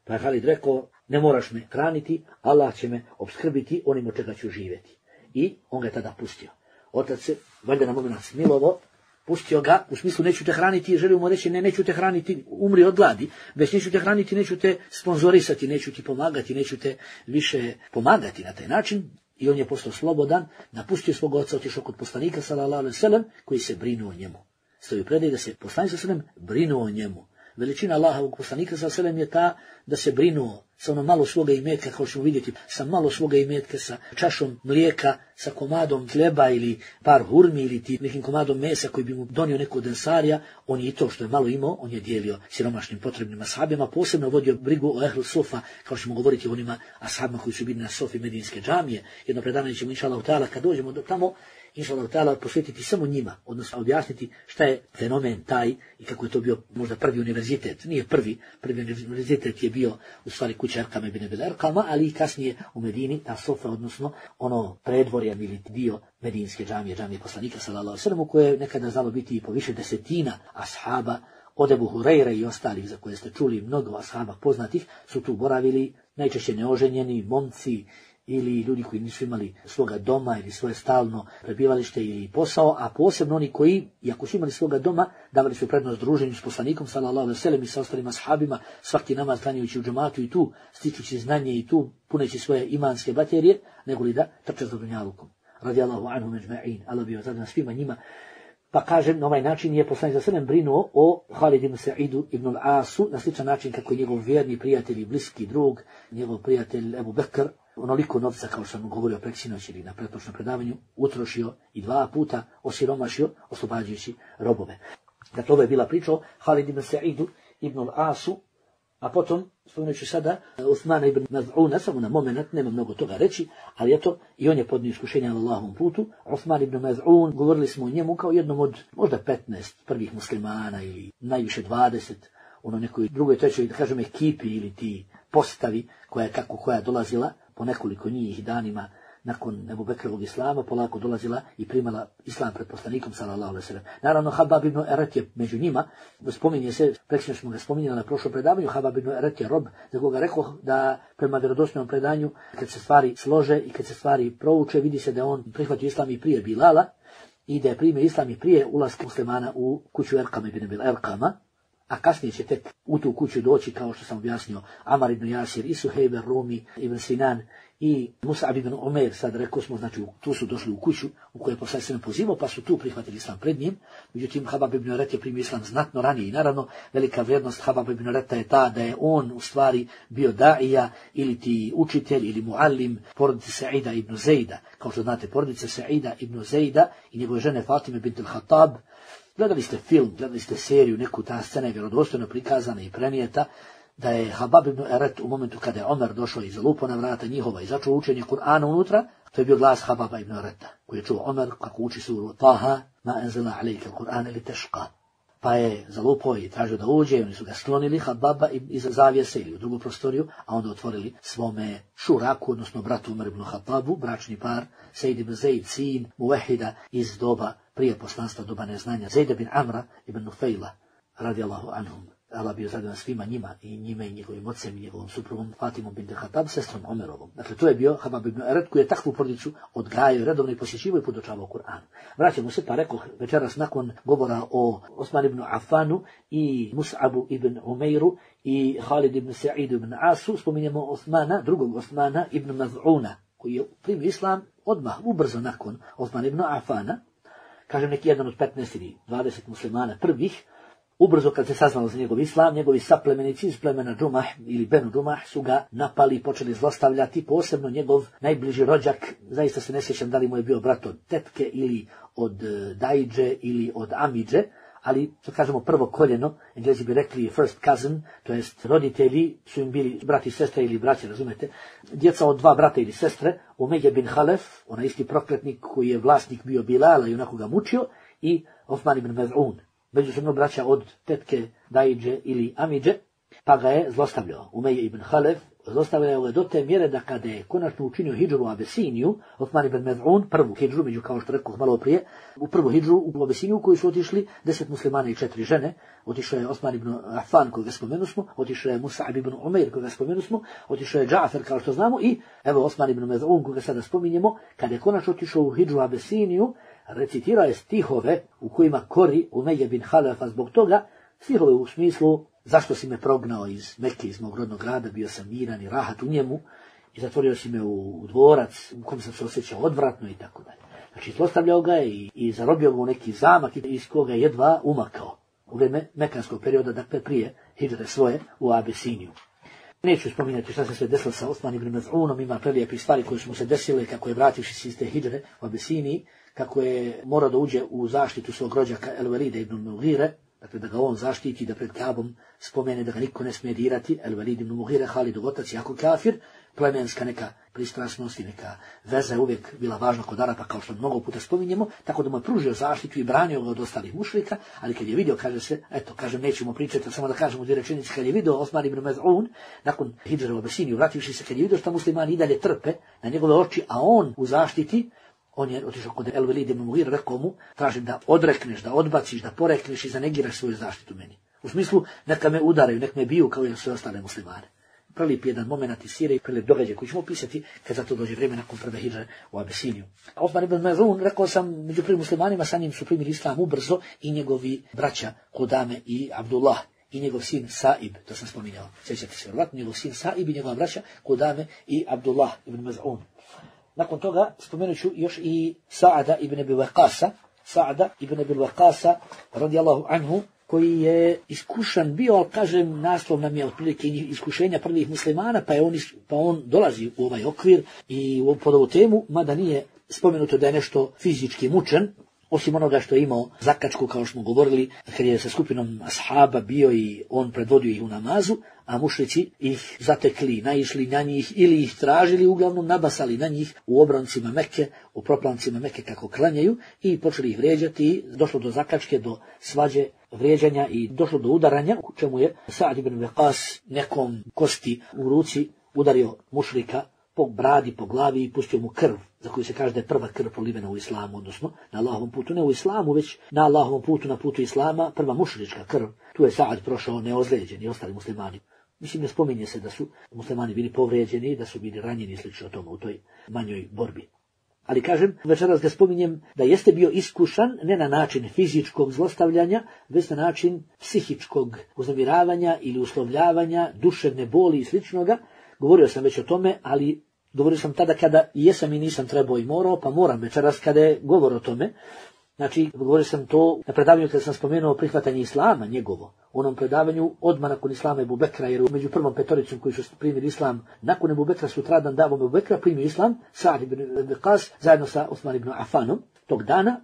Pa je Halid rekao, ne moraš me hraniti, Allah će me opskrbiti onim od čega ću živjeti. I on ga je tada pustio. Otac se, valjda na moment smilovo, pustio ga, u smislu neću te hraniti, želio mu reći ne, neću te hraniti, umri od gladi, već neću te hraniti, neću te sponzorisati, neću ti pomagati, neću te više pomagati na taj način. I on je postao slobodan, napustio svog oca, otišao kod poslanika sallallahu alejhi ve sellem, koji se brinuo o njemu. Stoji u predaji da se poslanik sallallahu alejhi ve sellem brinuo o njemu. Veličina Allahovog poslanika sallallahu alejhi ve sellem je ta da se brinuo sa ono malo svoga imetka, kao što ćemo vidjeti, sa malo svoga imetka, sa čašom mlijeka, sa komadom hljeba ili par hurmi ili ti nekim komadom mesa koji bi mu donio neko od ensarija, on je i to što je malo imao, on je dijelio siromašnim potrebnim ashabima, posebno vodio brigu o ehlu sofa, kao što ćemo govoriti o onima ashabima koji su bili na sofi Medinske džamije. Jedno predavanje ćemo inšallahu ta'ala kad dođemo do tamo, inšallahu ta'ala posvetiti samo njima, odnosno objasniti šta je fenomen taj i kako je to bio možda prvi univerzitet. Nije prvi, prvi univerzitet je bio u stvari kuća Erkama ibn Abil Erkama, ali i kasnije u Medini, ta sofa, odnosno ono predvorje ili dio Medinske džamije, džamije poslanika sallallahu alejhi ve sellem, koje je nekada znalo biti i po više desetina ashaba, od Ebu Hurajre i ostalih za koje ste čuli, mnogo ashaba poznatih su tu boravili, najčešće neoženjeni, momci, ili ljudi koji nisu imali svoga doma ili svoje stalno prebivalište ili posao, a posebno oni koji, iako su imali svoga doma, davali su prednost druženju s poslanikom sallallahu alejhi ve sellem i sa ostalim ashabima, svaki namaz klanjajući u džematu i tu stičući znanje i tu puneći svoje imanske baterije, nego li da trče za dunjalukom. Radijallahu anhum ejma'in, Allah bi ozadan svima njima. Pa kažem, na ovaj način je poslanik sallallahu alejhi ve sellem brinuo o Halid ibn Sa'idu ibn al-Asu, na sličan način kako je njegov vjerni prijatelj i bliski drug, njegov prijatelj Ebu Bekr, onoliko novca, kao što sam govorio preksinoć ili na pretprošlom predavanju, utrošio i dva puta osiromašio, oslobađajući robove. Dakle, ovo je bila priča o Halid ibn Sa'idu ibn al-Asu, a potom, spomenući sada, Uthmana ibn Maz'una, samo na moment, nema mnogo toga reći, ali eto, i on je podnio iskušenje na Allahovom putu. Uthman ibn Maz'un, govorili smo o njemu kao jednom od možda petnaest prvih muslimana ili najviše dvadeset, ono nekoj drugoj, trećoj, da kažem, ekipi ili ti postavi koja je kako koja dolazila po nekoliko njih danima nakon Ebu Bekrovog islama, polako dolazila i primala islam pred poslanikom sallallahu alejhi ve sellem. Naravno, Habab ibn Eret je među njima, spominje se, preksino smo ga spominjali na prošlom predavanju, Habab ibn Eret je rob, za koga rekao da prema vjerodostojnom predanju, kad se stvari slože i kad se stvari prouče, vidi se da on prihvatio islam i prije Bilala i da je primio islam i prije ulaska muslimana u kuću Erkama ibn Abil Erkama, a kasnije će tek u tu kuću doći, kao što sam objasnio, Amar ibn Jasir i Suhejb Rumi ibn Sinan i Mus'ab ibn Umair, sad rekao smo, znači tu su došli u kuću u kojoj je poslanik sallallahu alejhi ve sellem pozivao, pa su tu prihvatili islam pred njim. Međutim, Habab ibn Eret je primio islam znatno ranije i naravno velika vrijednost Habab ibn Ereta je ta da je on u stvari bio daija ili ti učitelj ili muallim porodice Sa'ida ibn Zejda. Kao što znate, porodice Sa'ida ibn Zejda i njegove žene Fatime bint al-Khattab. Gledali ste film, gledali ste seriju, neku ta scena je vjerodostojno prikazana i prenijeta, da je Habab ibn Eret u momentu kada je Omer došao i zalupo na vrata njihova i začeo učenje Kur'ana unutra, to je bio glas Hababa ibn Ereta, koji je čuo Omer kako uči suru Taha, ma enzela alejke Kur'ane li teška. pa je zalupao i tražio da uđe, oni su ga sklonili Hababa iza zavjese ili u drugu prostoriju, a onda otvorili svome šuraku, odnosno bratu Umar ibn Hatabu, bračni par, Sejd ibn Zaid, sin Muvehida iz doba prije poslanstva, doba neznanja, Zaid ibn Amra ibn Nufejla, radijallahu anhum. Allah bio zadovoljan svima njima i njime i njegovim ocem i njegovom suprugom Fatimom bint Hatab, sestrom Omerovom. Dakle, to je bio Habab ibn Eret koji je takvu porodicu odgajao redovno i posjećivao i podučavao Kur'an. Vraćamo se, pa rekao večeras nakon govora o Osman ibn Affanu i Mus'abu ibn Umeiru i Halid ibn Sa'idu ibn Asu, spominjemo Osmana, drugog Osmana ibn Maz'una, koji je primio islam odmah, ubrzo nakon Osman ibn Affana, kažem neki jedan od petnaest ili dvadeset muslimana prvih. Ubrzo kad se saznalo za njegov islam, njegovi saplemenici iz plemena Džumah ili Benu Džumah su ga napali i počeli zlostavljati, posebno njegov najbliži rođak, zaista se ne sjećam da li mu je bio brat od tetke ili od dajđe ili od amidže, ali što kažemo prvo koljeno, Englezi bi rekli first cousin, to jest roditelji su im bili brati i sestre ili braće, razumete, djeca od dva brata ili sestre, Umeje bin Halef, onaj isti prokletnik koji je vlasnik bio Bilala i onako ga mučio, i Osman ibn Maz'un, međusobno braća od tetke, dajđe ili amidže, pa ga je zlostavljao. Umeje ibn Halef zlostavljao ga do te mjere da kada je konačno učinio hidžru u Abesiniju, Osman ibn Maz'un, prvu hidžru, među kao što rekao malo prije, u prvu hidžru u Abesiniju u koju su otišli deset muslimana i četiri žene, otišao je Osman ibn Affan koga spomenu smo, otišao je Mus'ab ibn Umeir koga spomenu smo, otišao je Džafer kao što znamo i evo Osman ibn Maz'un koga sada spominjemo, kada je konačno otišao u hidžru u Abesiniju, recitirao je stihove u kojima kori Umeje bin Halefa zbog toga, stihove u smislu zašto si me prognao iz Mekke, iz mog rodnog grada, bio sam miran i rahat u njemu i zatvorio si me u, u dvorac u kojem sam se osjećao odvratno i tako dalje. Znači, zlostavljao ga je i, i zarobio ga u neki zamak iz koga je jedva umakao u vrijeme mekanskog perioda, dakle prije hidžre svoje u Abesiniju. Neću spominjati šta se sve desilo sa Osman ibn Maz'unom, ima prelijepih stvari koje su mu se desile kako je vrativši se iz te hidžre u Abesiniji, kako je morao da uđe u zaštitu svog rođaka El-Velida ibn Mughire, dakle da ga on zaštiti, da pred Kabom spomene da ga niko ne smije dirati, El-Velid ibn Mughire, Halidov otac, jako kafir, plemenska neka pristrasnost i neka veza je uvijek bila važna kod Arapa, kao što mnogo puta spominjemo, tako da mu je pružio zaštitu i branio ga od ostalih mušrika, ali kad je vidio, kaže se, eto, kažem, nećemo pričati, samo da kažemo dvije rečenice, kad je vidio Osman ibn Maz'un, nakon hidžre u Abesiniju, vrativši se, kad je vidio šta muslimani i dalje trpe na njegove oči, a on u zaštiti, on je otišao kod El-Velid ibn Mughire, rekao mu, tražim da odrekneš, da odbaciš, da porekneš i zanegiraš svoju zaštitu meni. U smislu, neka me udaraju, nek me biju kao i sve ostale muslimane. Prelip jedan moment iz Sirije, prelip događaj koji ćemo opisati kad za to dođe vrijeme nakon prve hidžre u Abesiniju. Osman ibn Maz'un, rekao sam, među prvim muslimanima, sa njim su primili islam ubrzo i njegovi braća Kudame i Abdullah i njegov sin Sa'ib, to sam spominjao, sjećate se vjerovatno, njegov sin Sa'ib i njegova braća Kudame i Abdullah ibn Maz'un. Nakon toga spomenut ću još i Sa'ada ibn Abi Waqqasa, Sa'ada ibn Abi Waqqasa, radijallahu anhu, koji je iskušan bio, ali kažem, naslov nam je otprilike iskušenja prvih muslimana, pa, je on, pa on dolazi u ovaj okvir i pod ovu temu, mada nije spomenuto da je nešto fizički mučen, osim onoga što je imao zakačku, kao što smo govorili, kad je sa skupinom ashaba bio i on predvodio ih u namazu, a mušrici ih zatekli, naišli na njih ili ih tražili, uglavnom nabasali na njih u obrancima Mekke, u proplancima Mekke kako klanjaju i počeli ih vrijeđati, došlo do zakačke, do svađe, vrijeđanja i došlo do udaranja, u čemu je Sa'd ibn Waqqas nekom kosti u ruci udario mušrika po bradi, po glavi i pustio mu krv, za koju se kaže da je prva krv prolivena u islamu, odnosno na Allahovom putu, ne u islamu, već na Allahovom putu, na putu islama, prva mušrička krv. Tu je Sa'd prošao neozlijeđen i ostali muslimani. Mislim, ne spominje se da su muslimani bili povrijeđeni, da su bili ranjeni i slično tome u toj manjoj borbi. Ali kažem, večeras ga spominjem da jeste bio iskušan ne na način fizičkog zlostavljanja, već na način psihičkog uznemiravanja ili uslovljavanja, duševne boli i sličnoga. Govorio sam već o tome, ali govorio sam tada kada jesam i nisam trebao i morao, pa moram večeras kada je govor o tome. Znači, govorio sam to na predavanju kada sam spomenuo prihvatanje islama njegovo. U onom predavanju odmah nakon islama Ebu Bekra, jer među prvom petoricom koji su primili islam, nakon Ebu Bekra sutradan davom Ebu Bekra primio islam, Sa'd ibn Waqqas zajedno sa Osman ibn Affanom tog dana,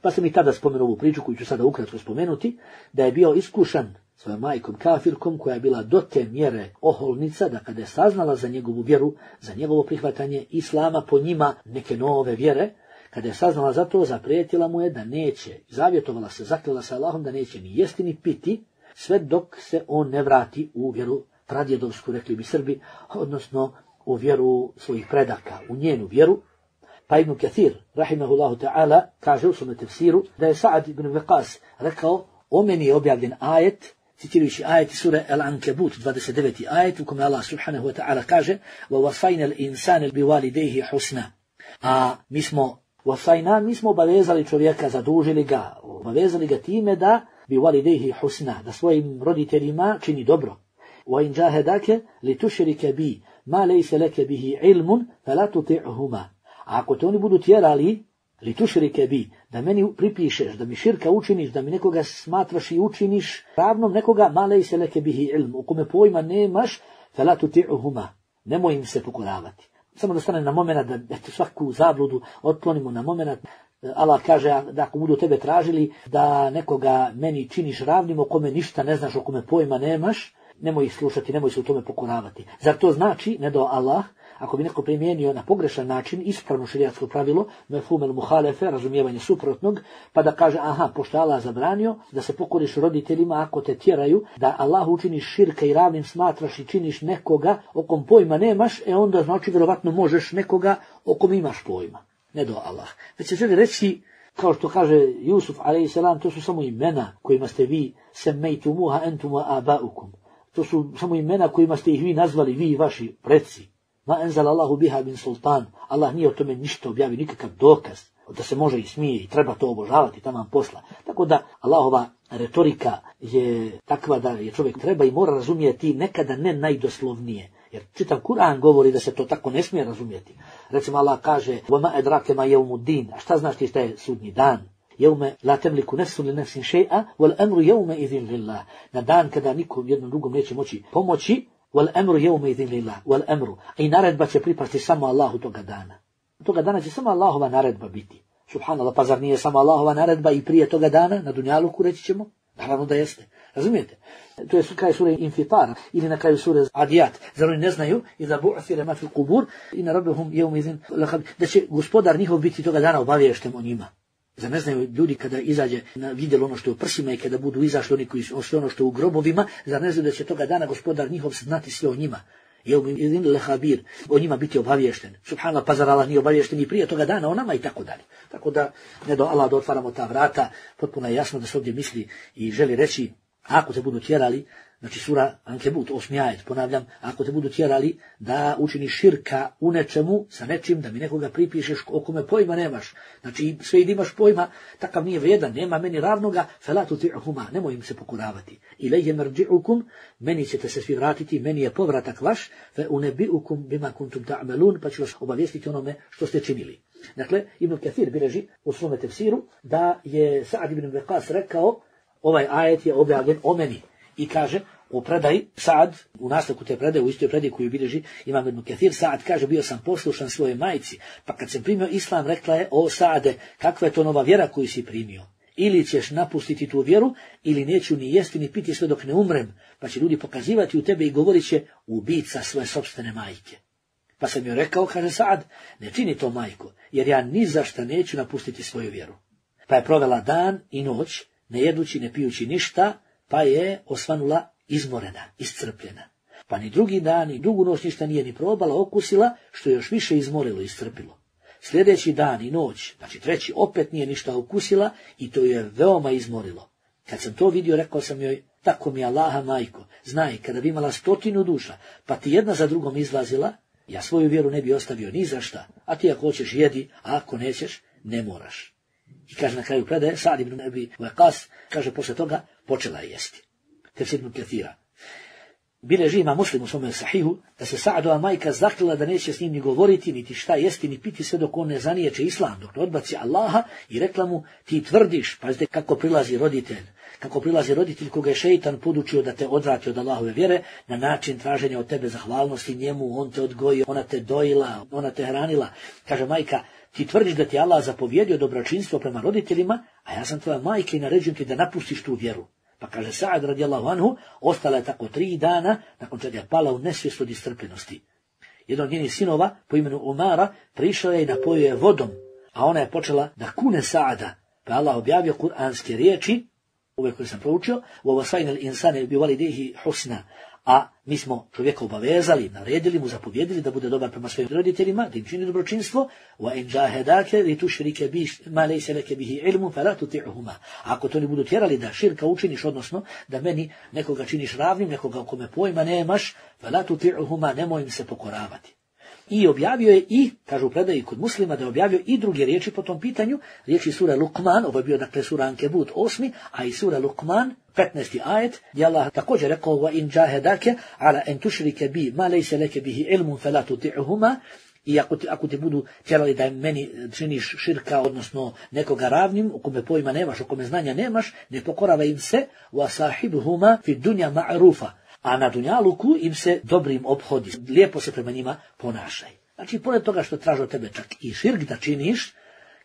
pa sam i tada spomenuo ovu priču koju ću sada ukratko spomenuti, da je bio iskušan svojom majkom kafirkom koja je bila do te mjere oholnica da kada je saznala za njegovu vjeru, za njegovo prihvatanje islama po njima neke nove vjere, Kada je saznala za to, zaprijetila mu je da neće, zavjetovala se, zakljela se Allahom da neće ni jesti ni piti, sve dok se on ne vrati u vjeru pradjedovsku, rekli bi Srbi, odnosno u vjeru svojih predaka, u njenu vjeru. Pa Ibn Kathir, rahimahullahu ta'ala, kaže u svome tefsiru da je Sa'ad ibn Waqas rekao, o meni je objavljen ajet, citirajući ajet sure Al-Ankebut, dvadeset deveti ajet, u kome Allah subhanahu wa ta'ala kaže وَوَصَيْنَ الْإِنسَانِ بِوَالِدَيْهِ حُسْنًا. A mi smo, wasajna, mi smo obavezali čovjeka, zadužili ga, obavezali ga time da بِوَالِدَيْهِ حُسْنًا, da svojim roditeljima čini dobro. وَإِنْ جَاهَدَاكَ لِتُشْرِكَ بِي مَا لَيْسَ لَكَ بِهِ عِلْمٌ فَلَا تُطِعْهُمَا. A ako te oni budu tjerali, li tušrike bi, da meni pripišeš, da mi širka učiniš, da mi nekoga smatraš i učiniš ravnom nekoga, malej se leke bihi ilm, u kome pojma nemaš, fela tuti'uhuma, nemoj im se pokoravati. Samo da stane na moment, da eto, svaku zabludu otklonimo na moment. Allah kaže da ako budu tebe tražili da nekoga meni činiš ravnim, o kome ništa ne znaš, o kome pojma nemaš, nemoj ih slušati, nemoj se u tome pokoravati. Zar to znači, ne do Allah, ako bi neko primijenio na pogrešan način ispravno šerijatsko pravilo, mefhum el muhalefe, razumijevanje suprotnog, pa da kaže, aha, pošto Allah zabranio da se pokoriš roditeljima ako te tjeraju, da Allah učiniš širka i ravnim smatraš i činiš nekoga o kom pojma nemaš, e onda znači vjerovatno možeš nekoga o kom imaš pojma. Ne do Allah. Već se želi reći, kao što kaže Jusuf alejhi selam, to su samo imena kojima ste vi semejtumuha entum wa abaukum. To su samo imena kojima ste ih vi nazvali, vi i vaši preci. Ma enzal Allahu biha bin sultan. Allah nije o tome ništa objavio, nikakav dokaz da se može i smije i treba to obožavati, taman posla. Tako da Allahova retorika je takva da je čovjek treba i mora razumjeti nekada ne najdoslovnije. Jer čitav Kur'an govori da se to tako ne smije razumjeti. Recimo Allah kaže وَمَا أَدْرَاكَ مَا يَوْمُ الدِّينِ. A šta znaš ti šta je sudnji dan? Jeume la temliku nefsun li nefsin še'a, wal emru jeume idhin lillah. Na dan kada nikom jednom drugom neće moći pomoći, wal emru jeume idhin lillah, wal emru. I naredba će pripasti samo Allahu toga dana. Toga dana će samo Allahova naredba biti. Subhanallah, pa zar nije samo Allahova naredba i prije toga dana, na dunjaluku reći ćemo? Naravno da jeste. Razumijete? To je kraj sure Infitar ili na kraju sure Adiyat. Zar oni ne znaju i da bu'thira ma fil qubur inna rabbahum yawma idhin lakhabir, da će gospodar njihov biti toga dana obaviješten o njima. Zar ne znaju ljudi kada izađe na vidjelo ono što je u prsima i kada budu izašli oni koji su sve ono što je u grobovima, zar ne znaju da će toga dana gospodar njihov znati sve o njima? Yawma idhin lakhabir, o njima biti obaviješten. Subhanallah, pa zar Allah nije obaviješten i prije toga dana o nama i tako dalje. Tako da ne do Allah da otvaramo ta vrata, potpuno je jasno da se ovdje misli i želi reći, ako te budu tjerali, znači sura Ankebut, osmi ajet, ponavljam, ako te budu tjerali da učiniš širka u nečemu, sa nečim, da mi nekoga pripišeš o kome pojma nemaš, znači sve i da imaš pojma, takav nije vrijedan, nema meni ravnoga, felatu ti'huma, nemoj im se pokoravati. Ilejhe merđi'ukum, meni ćete se svi vratiti, meni je povratak vaš, fe unebi'ukum bima kuntum ta'melun, pa ću vas obavijestiti onome što ste činili. Dakle, Ibn Kathir bilježi u svome tefsiru da je Sa'ad ibn Waqas rekao, ovaj ajet je objavljen o meni. I kaže, u predaji, Sa'ad, u nastavku te predaje, u istoj predaji koju bilježi Imam Ibn Kathir, Sa'ad kaže, bio sam poslušan svoje majci, pa kad sam primio islam, rekla je, o Sa'ade, kakva je to nova vjera koju si primio? Ili ćeš napustiti tu vjeru, ili neću ni jesti ni piti sve dok ne umrem, pa će ljudi pokazivati u tebe i govorit će, ubica svoje sopstvene majke. Pa sam joj rekao, kaže Sa'ad, ne čini to majko, jer ja ni za šta neću napustiti svoju vjeru. Pa je provela dan i noć, ne jedući, ne pijući ništa, pa je osvanula izmorena, iscrpljena. Pa ni drugi dan, ni drugu noć ništa nije ni probala, okusila, što je još više izmorilo i iscrpilo. Sljedeći dan i noć, znači treći, opet nije ništa okusila i to je veoma izmorilo. Kad sam to vidio, rekao sam joj, tako mi Allaha majko, znaj, kada bi imala stotinu duša, pa ti jedna za drugom izlazila, ja svoju vjeru ne bi ostavio ni za šta, a ti ako hoćeš jedi, a ako nećeš, ne moraš. I kaže na kraju predaje, Sa'ad ibn Abi Waqqas, kaže posle toga, počela je jesti. Tefsir Ibn Kathira. Bileži ima Muslim u svome sahihu, da se Sa'adova majka zaklila da neće s njim ni govoriti, niti šta jesti, ni piti sve dok on ne zaniječe islam, dok ne odbaci Allaha i rekla mu, ti tvrdiš, pazite kako prilazi roditelj, kako prilazi roditelj koga je šeitan podučio da te odvrati od Allahove vjere, na način traženja od tebe zahvalnosti njemu, on te odgojio, ona te dojila, ona te hranila. Kaže majka, ti tvrdiš da ti Allah zapovjedio dobročinstvo prema roditeljima, a ja sam tvoja majka i naređujem ti da napustiš tu vjeru. Pa kaže Sa'ad radijallahu anhu, ostala je tako tri dana, nakon čega je pala u nesvijest od iscrpljenosti. Jedan od njenih sinova, po imenu Umara, prišao je i napojio je vodom, a ona je počela da kune Saada, pa Allah objavio kuranske riječi, ove koje sam proučio, وَوَصَيْنَ الْإِنسَانَ بِوَلِدَيْهِ حُسْنًا, a mi smo čovjeka obavezali, naredili mu, zapovjedili da bude dobar prema svojim roditeljima, da im čini dobročinstvo, وَإِنْ جَاهَدَاكَ لِتُشْرِكَ بِي مَا لَيْسَ لَكَ بِهِ عِلْمٌ فَلَا تُطِعْهُمَا. Ako to ne budu tjerali da širka učiniš, odnosno da meni nekoga činiš ravnim, nekoga o kome pojma nemaš, فَلَا تُطِعْهُمَا, nemoj im se pokoravati. I objavio je i, kažu predaji kod Muslima, da je objavio i druge riječi po tom pitanju, riječi sura Luqman, ovo je bio dakle sura Ankebut osmi, a i sura Luqman, petnaesti ajet, gdje Allah također rekao, وَإِنْ جَاهَدَاكَ عَلَى أَنْ تُشْرِكَ بِي مَا لَيْسَ لَكَ بِهِ عِلْمٌ فَلَا تُطِعْهُمَا. I ako ti, ako ti budu tjerali da meni činiš širka, odnosno nekoga ravnim, u kome pojma nemaš, u kome znanja nemaš, ne pokorava im se, وَصَاحِبْهُمَا فِي الدُّنْيَا مَعْرُوفًا. A na dunjaluku im se dobrim ophodi, lijepo se prema njima ponašaj. Znači, pored toga što traže od tebe čak i širk da činiš,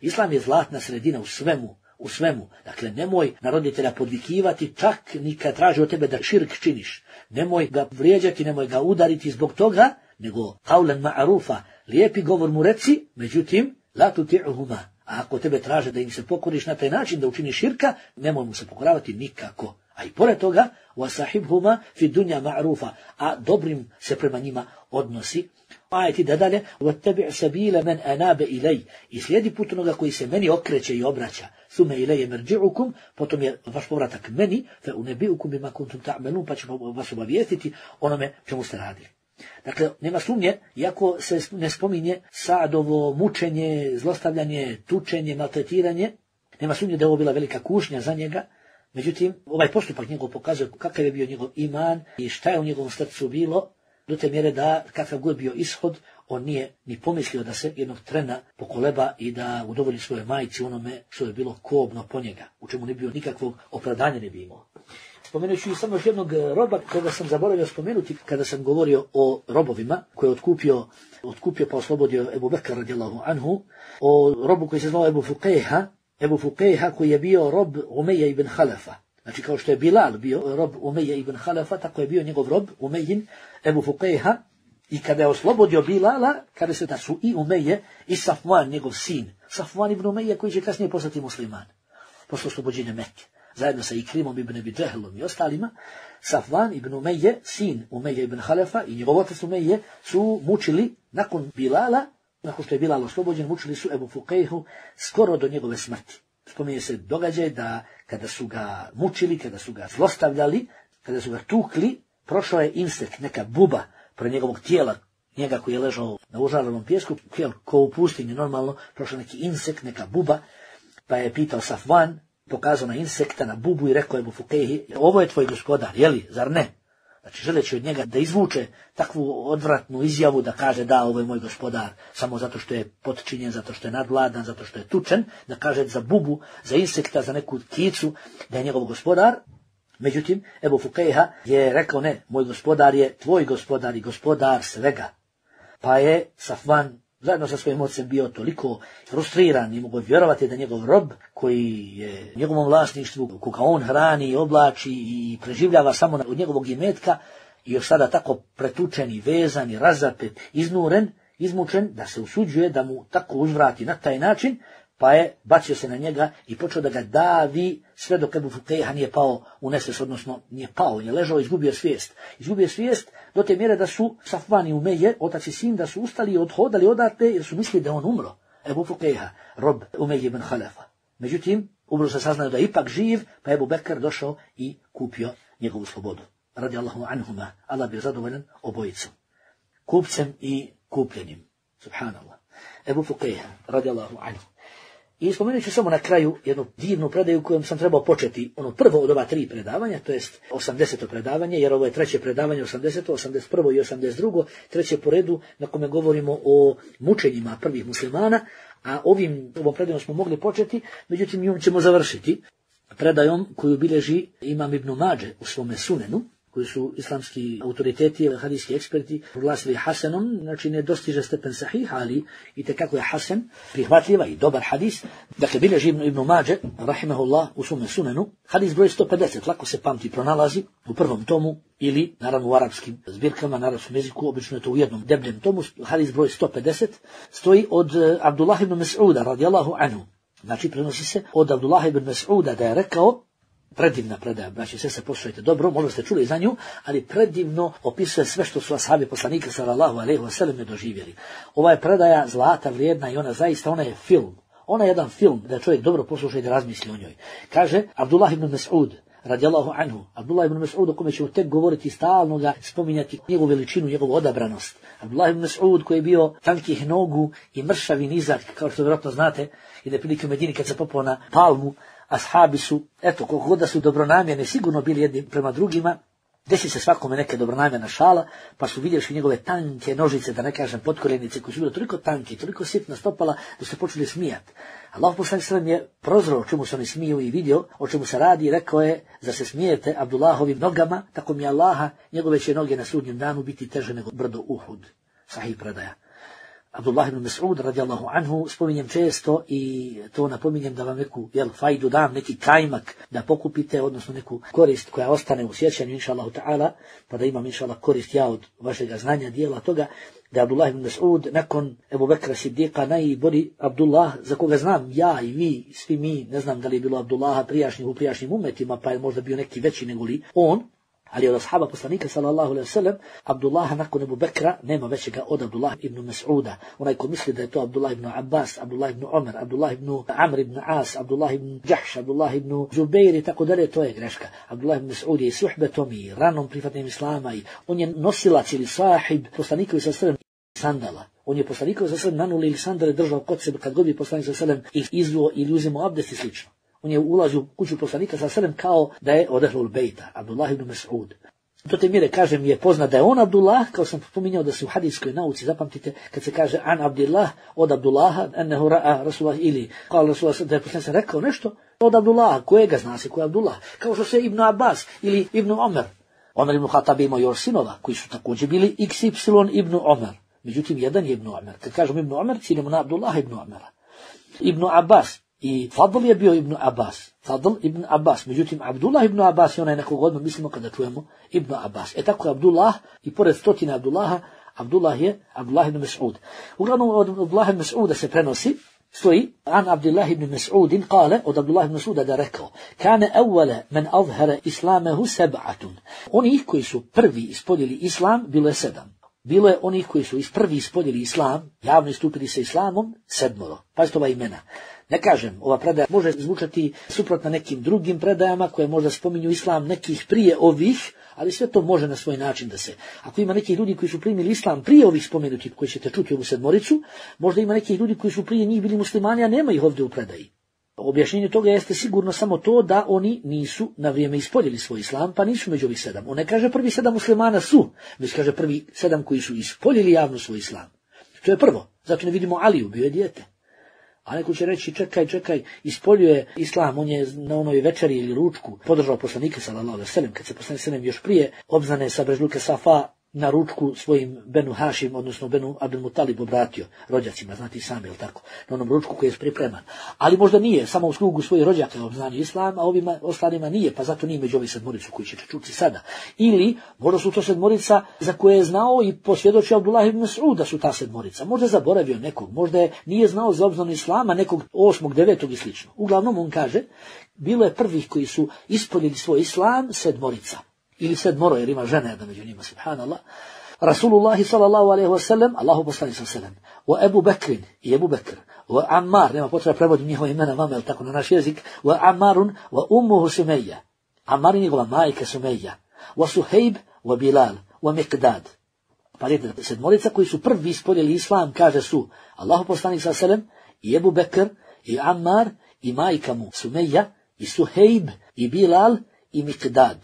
Islam je zlatna sredina u svemu, u svemu. Dakle, nemoj na roditelja podvikivati čak ni kad traži od tebe da širk činiš. Nemoj ga vrijeđati, nemoj ga udariti zbog toga, nego qawlan ma'rufa, lijepi govor mu reci, međutim, la tuti'uhuma. A ako tebe traže da im se pokoriš na taj način da učiniš širka, nemoj mu se pokoravati nikako. A i pored toga, وَسَحِبْهُمَا فِي دُنْيَا مَعْرُوفًا, a dobrim se prema njima odnosi. Ajeti da dalje, وَاتَّبِعْ سَبِيلَ مَنْ أَنَابَ إِلَيْ, i slijedi put onoga koji se meni okreće i obraća. ثُمَّ إِلَيَ مَرْجِعُكُمْ, potom je vaš povratak meni, فَأُنَبِئُكُمْ بِمَا كُنْتُمْ تَعْمَلُونَ, pa ćemo vas obavijestiti onome čemu ste radili. Dakle, nema sumnje, iako se ne spominje Saadovo mučenje, zlostavljanje, tučenje, maltretiranje, nema sumnje da je ovo bila velika kušnja za njega. Međutim, ovaj postupak njegov pokazuje kakav je bio njegov iman i šta je u njegovom srcu bilo, do te mjere da kakav god bio ishod, on nije ni pomislio da se jednog trena pokoleba i da udovolji svoje majci onome što je bilo kobno po njega, u čemu ne bio nikakvog opravdanja ne bi imao. Spomenući i samo još jednog roba koga sam zaboravio spomenuti kada sam govorio o robovima koje je otkupio, otkupio pa oslobodio Ebu Bekr radijallahu anhu, o robu koji se zvao Ebu Fuqejha, Ebu Fuqejha koji je bio rob Umeja ibn Halefa. Znači kao što je Bilal bio rob Umeja ibn Halefa, tako je bio njegov rob Umejin Ebu Fuqejha. I kada je oslobodio Bilala, kada se da su i Umeje i Safvan, njegov sin, Safvan ibn Umeje koji će kasnije postati musliman, posle oslobođenja Mekke, zajedno sa Ikrimom ibn Abi Džehlom i ostalima, Safvan ibn Umeje, sin Umeja ibn Halefa i njegov otac Umeje su mučili nakon Bilala, nakon što je Bilal oslobođen, mučili su Ebu Fuqejhu skoro do njegove smrti. Spominje se događaj da kada su ga mučili, kada su ga zlostavljali, kada su ga tukli, prošao je insekt, neka buba pre njegovog tijela, njega koji je ležao na užarenom pjesku, ko u pustinji normalno, prošao neki insekt, neka buba, pa je pitao Safvan, pokazao na insekta, na bubu i rekao Ebu Fuqejhi, ovo je tvoj gospodar, jeli, zar ne? Znači, želeći od njega da izvuče takvu odvratnu izjavu da kaže da, ovo je moj gospodar, samo zato što je potčinjen, zato što je nadvladan, zato što je tučen, da kaže za bubu, za insekta, za neku pticu, da je njegov gospodar. Međutim, Ebu Fuqejha je rekao ne, moj gospodar je tvoj gospodar i gospodar svega. Pa je Safvan zajedno sa svojim ocem bio toliko frustriran i mogu vjerovati da njegov rob koji je u njegovom vlasništvu, koga on hrani i oblači i preživljava samo od njegovog imetka i još sada tako pretučen i vezan i razapet, iznuren, izmučen, da se usuđuje da mu tako uzvrati na taj način, pa je bacio se na njega i počeo da ga davi sve dok Ebu Fuqejha nije pao u nesvijest, odnosno nije pao, je ležao i izgubio svijest. Izgubio svijest do te mjere da su Safvan i Umeje, otac i sin, da su ustali i odhodali odatle jer su mislili da on umro. Ebu Fuqejha, rob Umeje ibn Halefa. Međutim, ubrzo se saznaju da je ipak živ, pa je Ebu Bekr došao i kupio njegovu slobodu. Radijallahu anhuma, Allah bio zadovoljan obojicom, kupcem i kupljenim. Subhanallah. Ebu Fuqejha, radijallahu anhu. I spomenut ću samo na kraju jednu divnu predaju kojom sam trebao početi, ono prvo od ova tri predavanja, to jest osamdeseto predavanje, jer ovo je treće predavanje, osamdeseto, osamdeset prvo i osamdeset drugo, treće po redu na kome govorimo o mučenjima prvih muslimana, a ovim, ovom predajom smo mogli početi, međutim njom ćemo završiti predajom koju bilježi Imam Ibn Mađe u svome sunenu, koji su islamski autoriteti, hadijski eksperti, proglasili hasanom, znači ne dostiže stepen sahih, ali i tekako je hasan, prihvatljiva i dobar hadis. Dakle, bilježi Ibn, Ibn Mađe, rahimahullah, u svome sunenu, hadis broj sto pedeset, lako se pamti, pronalazi u prvom tomu, ili, naravno, u arapskim zbirkama, na arapskom jeziku, obično je to u jednom debljem tomu, hadis broj sto pedeset, stoji od Abdullah ibn Mas'uda, radijallahu anhu. Znači, prenosi se od Abdullah ibn Mas'uda da je rekao, predivna predaja, znači sve se poslušajte dobro, možda ste čuli za nju, ali predivno opisuje sve što su ashabi poslanika sallallahu alejhi ve sellem doživjeli. Ova je predaja zlata vrijedna i ona zaista, ona je film. Ona je jedan film da čovjek dobro posluša i da razmisli o njoj. Kaže Abdullah ibn Mas'ud, radijallahu anhu, Abdullah ibn Mas'ud, o kome ćemo tek govoriti stalno, ga spominjati njegovu veličinu, njegovu odabranost. Abdullah ibn Mas'ud koji je bio tankih nogu i mršav i nizak, kao što vjerojatno znate, i da prilike u Medini kad se popao na palmu, ashabi su, eto, koliko god da su dobronamjerne, sigurno bili jedni prema drugima, desi se svakome neka dobronamjerna šala, pa su vidjeli njegove tanke nožice, da ne kažem potkoljenice, koje su bile toliko tanke, toliko sitna stopala, da su počeli smijati. Allah poslanik sallallahu alejhi ve sellem je prozreo o čemu se oni smiju i vidio o čemu se radi i rekao je, zar se smijete Abdullahovim nogama, tako mi Allaha, njegove će noge na sudnjem danu biti teže nego brdo Uhud. Sahih predaja. Abdullah ibn Mas'ud radijallahu anhu spominjem često i to napominjem da vam neku jel, fajdu dam, neki kajmak da pokupite, odnosno neku korist koja ostane u sjećanju, inša Allahu ta'ala, pa da imam inša Allah korist ja od vašega znanja, dijela toga, da je Abdullah ibn Mas'ud nakon Ebu Bekra Siddiqa najbolji Abdullah, za koga znam ja i vi, svi mi, ne znam da li je bilo Abdullaha prijašnjih u prijašnjim umetima, pa je možda bio neki veći nego li on, ali od ashaba poslanika sallallahu alejhi ve sellem Abdullaha nakon Ebu Bekra nema većega od Abdullah ibn Mas'uda. Onaj ko misli da je to Abdullah ibn Abbas, Abdullah ibn Omer, Abdullah ibn Amr ibn As, Abdullah ibn Jahš, Abdullah ibn Zubair i tako dalje, to je greška. Abdullah ibn Mas'ud je i suhbetom i ranom prihvatanjem islama i on je nosilac ili sahib poslanika sallallahu alejhi ve sellem sandala. On je poslanika sallallahu alejhi ve sellem nanuli ili sandale držao kod sebe kad god bi poslanik sallallahu alejhi ve sellem ih izvuo ili uzimao abdest i slično. On je ulazio u kuću poslanika sallallahu alejhi ve sellem kao da je od Ehlul Bejta, Abdullah ibn Mas'ud. Do te mjere, kažem, je poznat da je on Abdullah, kao sam pominjao da se u hadijskoj nauci, zapamtite, kad se kaže an Abdillah, od Abdullaha, ennehu ra'a Rasulullah ili, kao Rasulullah, da je poslanik rekao nešto od Abdullaha, kojega zna se ko je Abdullah, kao što se Ibn Abbas ili Ibn Omer. Omer ibn Khattab imao još sinova, koji su također bili iks ipsilon Ibn Omer. Međutim, jedan je Ibn Omer. Kad kažemo Ibn Omer, ciljamo na Abdullah ibn Omera. Ibn Abbas i Fadl je bio Ibn Abbas. Fadl ibn Abbas. Međutim, Abdullah ibn Abbas je onaj nekog odmah mislimo kada čujemo Ibn Abbas. E tako je Abdullah i pored stotine Abdullaha, Abdullah je Abdullah ibn Mas'ud. Uglavnom od Abdullah ibn Mas'uda se prenosi, stoji, an Abdullah ibn Mas'udin kale, od Abdullah ibn Mas'uda da rekao, kane evvele men azhara islamehu seb'atun. Oni koji su prvi ispoljili islam, bilo je sedam. Bilo je onih koji su prvi ispoljili islam, javno istupili sa islamom, sedmoro. Pazite ova imena. Ne kažem, ova predaja može zvučati suprotno nekim drugim predajama koje možda spominju islam nekih prije ovih, ali sve to može na svoj način da se. Ako ima neki ljudi koji su primili islam prije ovih spomenutih koji ćete čuti ovu sedmoricu, možda ima neki ljudi koji su prije njih bili muslimani, a nema ih ovdje u predaji. Objašnjenje toga jeste sigurno samo to da oni nisu na vrijeme ispoljili svoj islam, pa nisu među ovih sedam. On ne kaže prvi sedam muslimana su, već kaže prvi sedam koji su ispoljili javno svoj islam. To je prvo. Zato ne vidimo Aliju, bio je dijete. A neko će reći, čekaj, čekaj, ispoljuje islam, on je na onoj večeri ili ručku podržao poslanika sallallahu alejhi ve sellem, kad se poslanik sallallahu još prije obznane sa brežluke Safa na ručku svojim Benu Hašim, odnosno Benu Abdul Mutalib obratio rođacima, znate i sami, jel tako, na onom ručku koji je pripreman. Ali možda nije, samo u slugu svojih rođaka je obznanio islam, a ovima ostalima nije, pa zato nije među ovih sedmoricu koji ćete čuti sada. Ili, možda su to sedmorica za koje je znao i posvjedočio Abdullah ibn Mas'ud da su ta sedmorica. Možda zaboravio nekog, možda je nije znao za obznanu islama nekog osmog, devetog i slično. Uglavnom on kaže, bilo je prvih koji su ispoljili svoj islam sedmorica. Ili sedmoro, jer ima žene da među njima, subhanallah. Rasulullah sallallahu alejhi ve sellem, Allahu poslanik sallallahu alejhi ve sellem, wa Abu Bakr i Abu Bekr, wa Ammar, nema potreba prevodim njihova imena vama, ili tako na naš jezik, wa Ammarun, wa ummuhu Sumayya, Ammar i njegova majka Sumayya, wa Suhejb, wa Bilal, wa Miqdad. Pa vidite, sedmorica koji su prvi ispoljili islam, kaže su Allahu poslanik sallallahu alejhi ve sellem, i Abu Bekr, i Ammar, i majka mu Sumayya, i Suhejb, i Bilal, i Miqdad.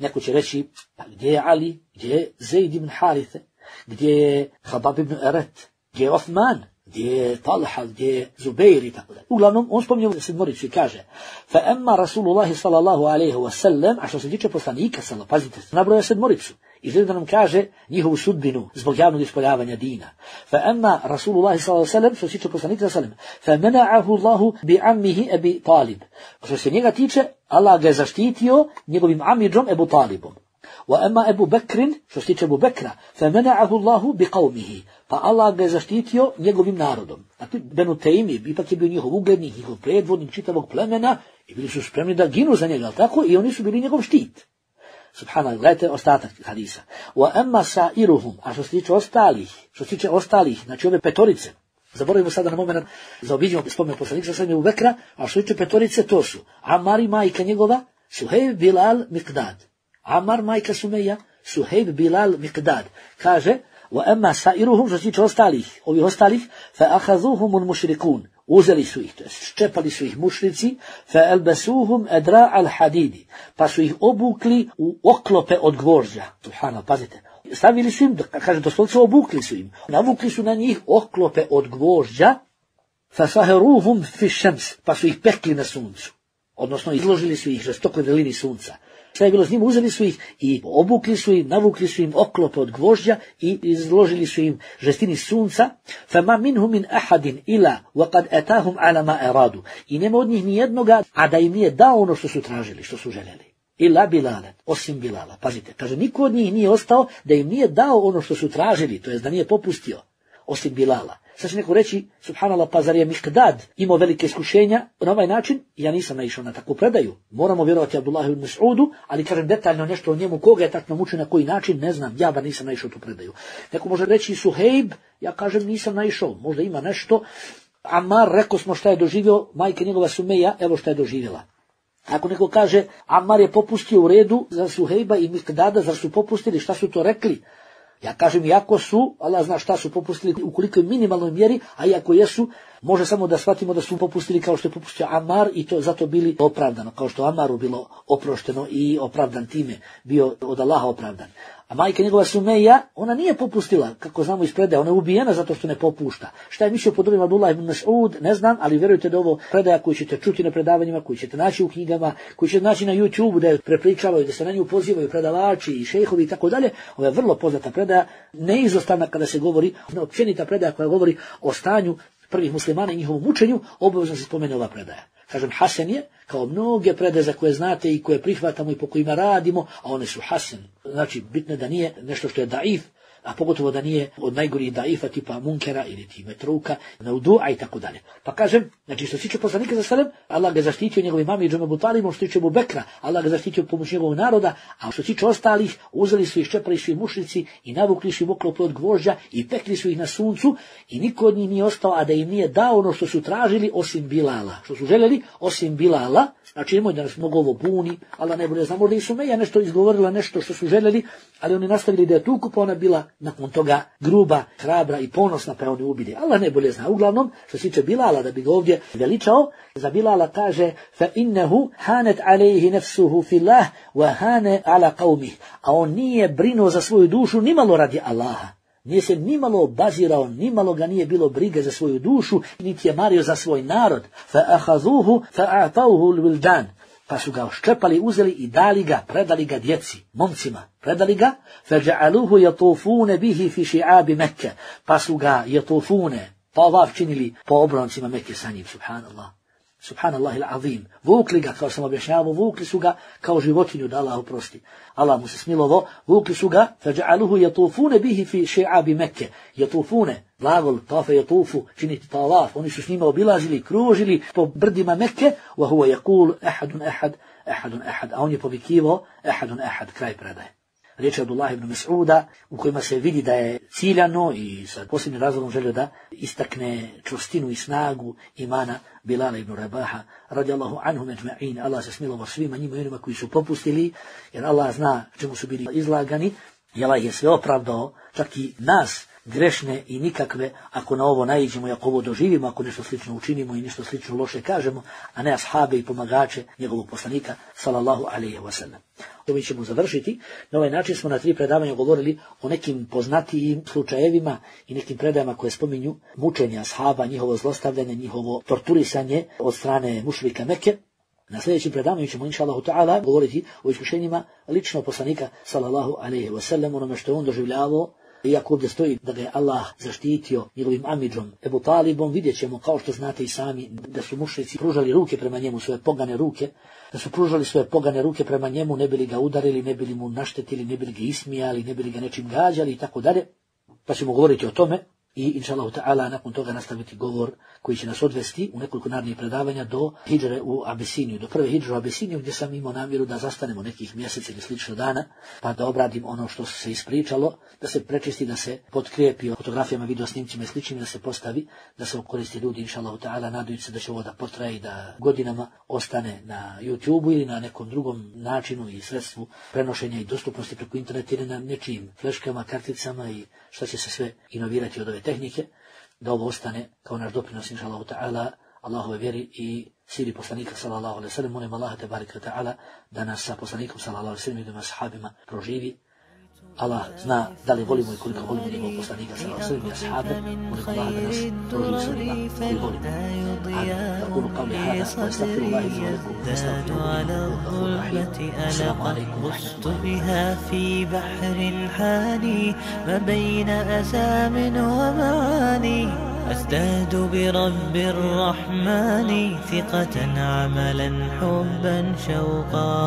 Neko će reći, pa gdje je Ali, gdje je Zaid ibn Harithe, gdje je Habab ibn Eret, gdje je Osman, gdje je Talha, gdje je Zubeir i tako dalje. Uglavnom, on spominje sedmoricu i kaže fa emma Rasulullahi sallallahu alaihi wa sallam, a što se tiče poslanika sallallahu, pazite, nabroja sedmoricu i želi da nam kaže njihovu sudbinu zbog javnog ispoljavanja dina. Fa emma Rasulullahi sallallahu alaihi wa sallam, što se tiče poslanika sallallahu alaihi wa sallam, fa mena'ahu Allahu bi ammihi Abi Talib. Što se njega tiče, Allah ga je zaštitio njegovim amidžom Ebu Talibom. Wa emma Ebu Bekrin, što se tiče Ebu Bekra, fa mena'ahu Allahu bi qavmihi. Pa Allah ga je zaštitio njegovim narodom. A ti Benu Tejmi, ipak je bio njihov uglednik, njihov predvodnik čitavog plemena i bili su spremni da ginu za njega, tako? I oni su bili njegov štit. Subhanallah, gledajte ostatak hadisa. Wa emma sa'iruhum, a što se tiče ostalih, što se tiče ostalih, znači ove petorice, zaboravimo sada na moment, zaobiđemo spomen poslanika sa Ebu Bekra, a što se tiče petorice, to su Ammar i majka njegova, Suhejb, Bilal, Miqdad. Ammar, majka Sumeja, Suhejb, Bilal, Miqdad. Kaže, wa emma sa'iruhum, što se tiče ostalih, ovih ostalih, fa ahazuhumul mušrikun, uzeli su ih, to jest ščepali su ih mušrici, fa elbesuhum edra al hadidi, pa su ih obukli u oklope od gvožđa. Subhanallah, pazite. Stavili su im, kaže doslovce, obukli su im, navukli su na njih oklope od gvožđa, fa saheruhum fi šems, pa su ih pekli na suncu, odnosno izložili su ih žestokoj vrelini sunca. Šta je bilo s njim? Uzeli su ih i obukli su im, navukli su im oklope od gvožđa i izložili su im žestini sunca. Fama minhum min ahadin ila waqad atahum ala ma aradu. I nema od njih ni jednoga, a da im nije dao ono što su tražili, što su željeli. Ila Bilala, osim Bilala. Pazite, kaže, niko od njih nije ostao da im nije dao ono što su tražili, to jest da nije popustio, osim Bilala. Sad će neko reći, subhanallah, pa zar je Miqdad imao velike iskušenja na ovaj način? Ja nisam naišao na takvu predaju. Moramo vjerovati Abdullahu ibn Mas'udu, ali kažem detaljno nešto o njemu, koga je tako naučio, na koji način, ne znam, ja bar nisam naišao tu predaju. Neko može reći Suhejb, ja kažem nisam naišao, možda ima nešto. Ammar, rekao smo šta je doživio, majka njegova Sumeja, evo šta je doživjela. Ako neko kaže, Ammar je popustio u redu za Suhejba i Miqdada, zar su popustili, šta su to rekli? Ja kažem, iako su, Allah zna šta su popustili u kolikoj minimalnoj mjeri, a iako jesu, može samo da shvatimo da su popustili kao što je popustio Ammar i to zato bili opravdano, kao što Ammaru bilo oprošteno i opravdan time, bio od Allaha opravdan. A majka njegova Sumeja, ona nije popustila, kako znamo iz predaja, ona je ubijena zato što ne popušta. Šta je mislio pod ovim Abdullah ibn Mas'ud, ne znam, ali vjerujte da ovo predaja koju ćete čuti na predavanjima, koju ćete naći u knjigama, koju ćete naći na YouTube, da je prepričavaju, da se na nju pozivaju predavači i šejhovi i tako dalje. Ovo je vrlo poznata predaja, neizostavna kada se govori, općenita predaja koja govori o stanju prvih muslimana i njihovom učenju, obavezno se spomene ova predaja. Kažem, hasen je, kao mnoge predaje za koje znate i koje prihvatamo i po kojima radimo, a one su hasen. Znači, bitno da nije nešto što je daif, a pogotovo da nije od najgorih daifa tipa Munkera ili ti Metruka, Naudu'a i tako dalje. Pa kažem, znači što se tiče poslanika za sallam, Allah ga zaštitio njegovim amidžom Ebu Talibom, što se tiče Ebu Bekra, Allah ga zaštitio pomoć njegovog naroda, a što se tiče ostalih, uzeli su ih, ščepali su ih mušrici i navukli su ih oklope od gvožđa i pekli su ih na suncu i niko od njih nije ostao, a da im nije dao ono što su tražili osim Bilala. Što su željeli osim Bilala, znači nemoj da nas mnogo ovo buni, Allah ne bude, znam, možda i Sumeja nešto izgovorila, nešto što su željeli, ali oni nastavili da je tuku, pa ona bila nakon toga gruba, hrabra i ponosna, pa oni ubili. Allah ne bolje zna. Uglavnom, što se tiče Bilala, da bi ga ovdje veličao, za Bilala kaže fa innehu hanet alejhi nefsuhu fillah wa hane ala qawmih. A on nije brinuo za svoju dušu nimalo radi Allaha. Nije se nimalo obazirao, nimalo ga nije bilo brige za svoju dušu, niti je mario za svoj narod. Fa ahazuhu fa a'tauhu l-wildan. Pa su ga oščepali, uzeli i dali ga, predali ga djeci, momcima, predali ga, feđa'aluhu jatufune bihi fi ši'abi Mekke, pa su ga jatufune, tavaf činili po obroncima Mekke sa njim, subhanallah, subhanallah il-azim, vukli ga, kao sam objašnjavao, vukli su ga kao životinju, da Allah oprosti, Allah mu se smilovo, vukli su ga, feđa'aluhu jatufune bihi fi ši'abi Mekke, jatufune, glagol, tafe jatufu, činiti tavaf, oni su s njima obilazili, kružili po brdima Mekke, wa huwa yakul ahadun ahad, ahadun ahad, a on je povikivao ahadun ahad, kraj predaje. Riječ je Abdullah ibn Mas'uda, u kojima se vidi da je ciljano i sa posebnim razlogom želio da istakne čvrstinu i snagu imana Bilala ibn Rabaha, radijallahu anhum ejma'in. Allah se smilovao svima njima i onima koji su popustili, jer Allah zna čemu su bili izlagani, i Allah je sve opravdao, čak i nas, grešne i nikakve ako na ovo naiđemo i ako ovo doživimo, ako nešto slično učinimo i nešto slično loše kažemo, a ne ashabe i pomagače njegovog poslanika sallallahu alejhi ve sellem. Mi ćemo završiti. Na ovaj način smo na tri predavanja govorili o nekim poznatijim slučajevima i nekim predajama koje spominju mučenje ashaba, njihovo zlostavljanje, njihovo torturisanje od strane mušrika Mekke. Na sljedećim predavanju ćemo inšallahu ta'ala govoriti o iskušenjima lično poslanika sallallahu alejhi ve sellem, onome što je on doživljavao. Iako ovdje stoji da ga je Allah zaštitio njegovim amidžom Ebu Talibom, vidjet ćemo, kao što znate i sami, da su mušrici pružali ruke prema njemu, svoje pogane ruke, da su pružali svoje pogane ruke prema njemu, ne bili ga udarili, ne bili mu naštetili, ne bili ga ismijali, ne bili ga nečim gađali i tako dalje. Pa ćemo govoriti o tome i inšallahu ta'ala nakon toga nastaviti govor koji će nas odvesti u nekoliko narednih predavanja do hidžre u Abisiniju, do prve hidžre u Abisiniju, gdje sam imao namjeru da zastanemo nekih mjesec ili slično dana, pa da obradim ono što se ispričalo, da se prečisti, da se potkrijepi fotografijama, videosnimcima i sličnim, da se postavi, da se koristi ljudi, inšallahu ta'ala, nadajući se da će ovo da potraje i da godinama ostane na YouTubeu ili na nekom drugom načinu i sredstvu prenošenja i dostupnosti preko interneta ili na nečijim fleškama, karticama i šta će se sve inovirati od ove tehnike, da ovo ostane kao naš doprinos, inšallahu ta'ala, Allahove vjeri i siri poslanika sallallahu alejhi ve sellem. Molim Allaha tebareke ve ta'ala da nas sa poslanikom sallallahu alejhi ve sellem i dvema ashabima proživi. Allah zna da li volimo i koliko volimo njegovog poslanika sallallahu alejhi ve sellem i ashabe. Molim Allaha da nas proživi sa njima koji volimo. Amin. Aqulu qawli hada wa astaghfirullaha li wa lakum wastaghfiruhu. Assalamu alaikum wa rahmatullahi wa barakatuh. أزداد برب الرحمن ثقة عملا حبا شوقا.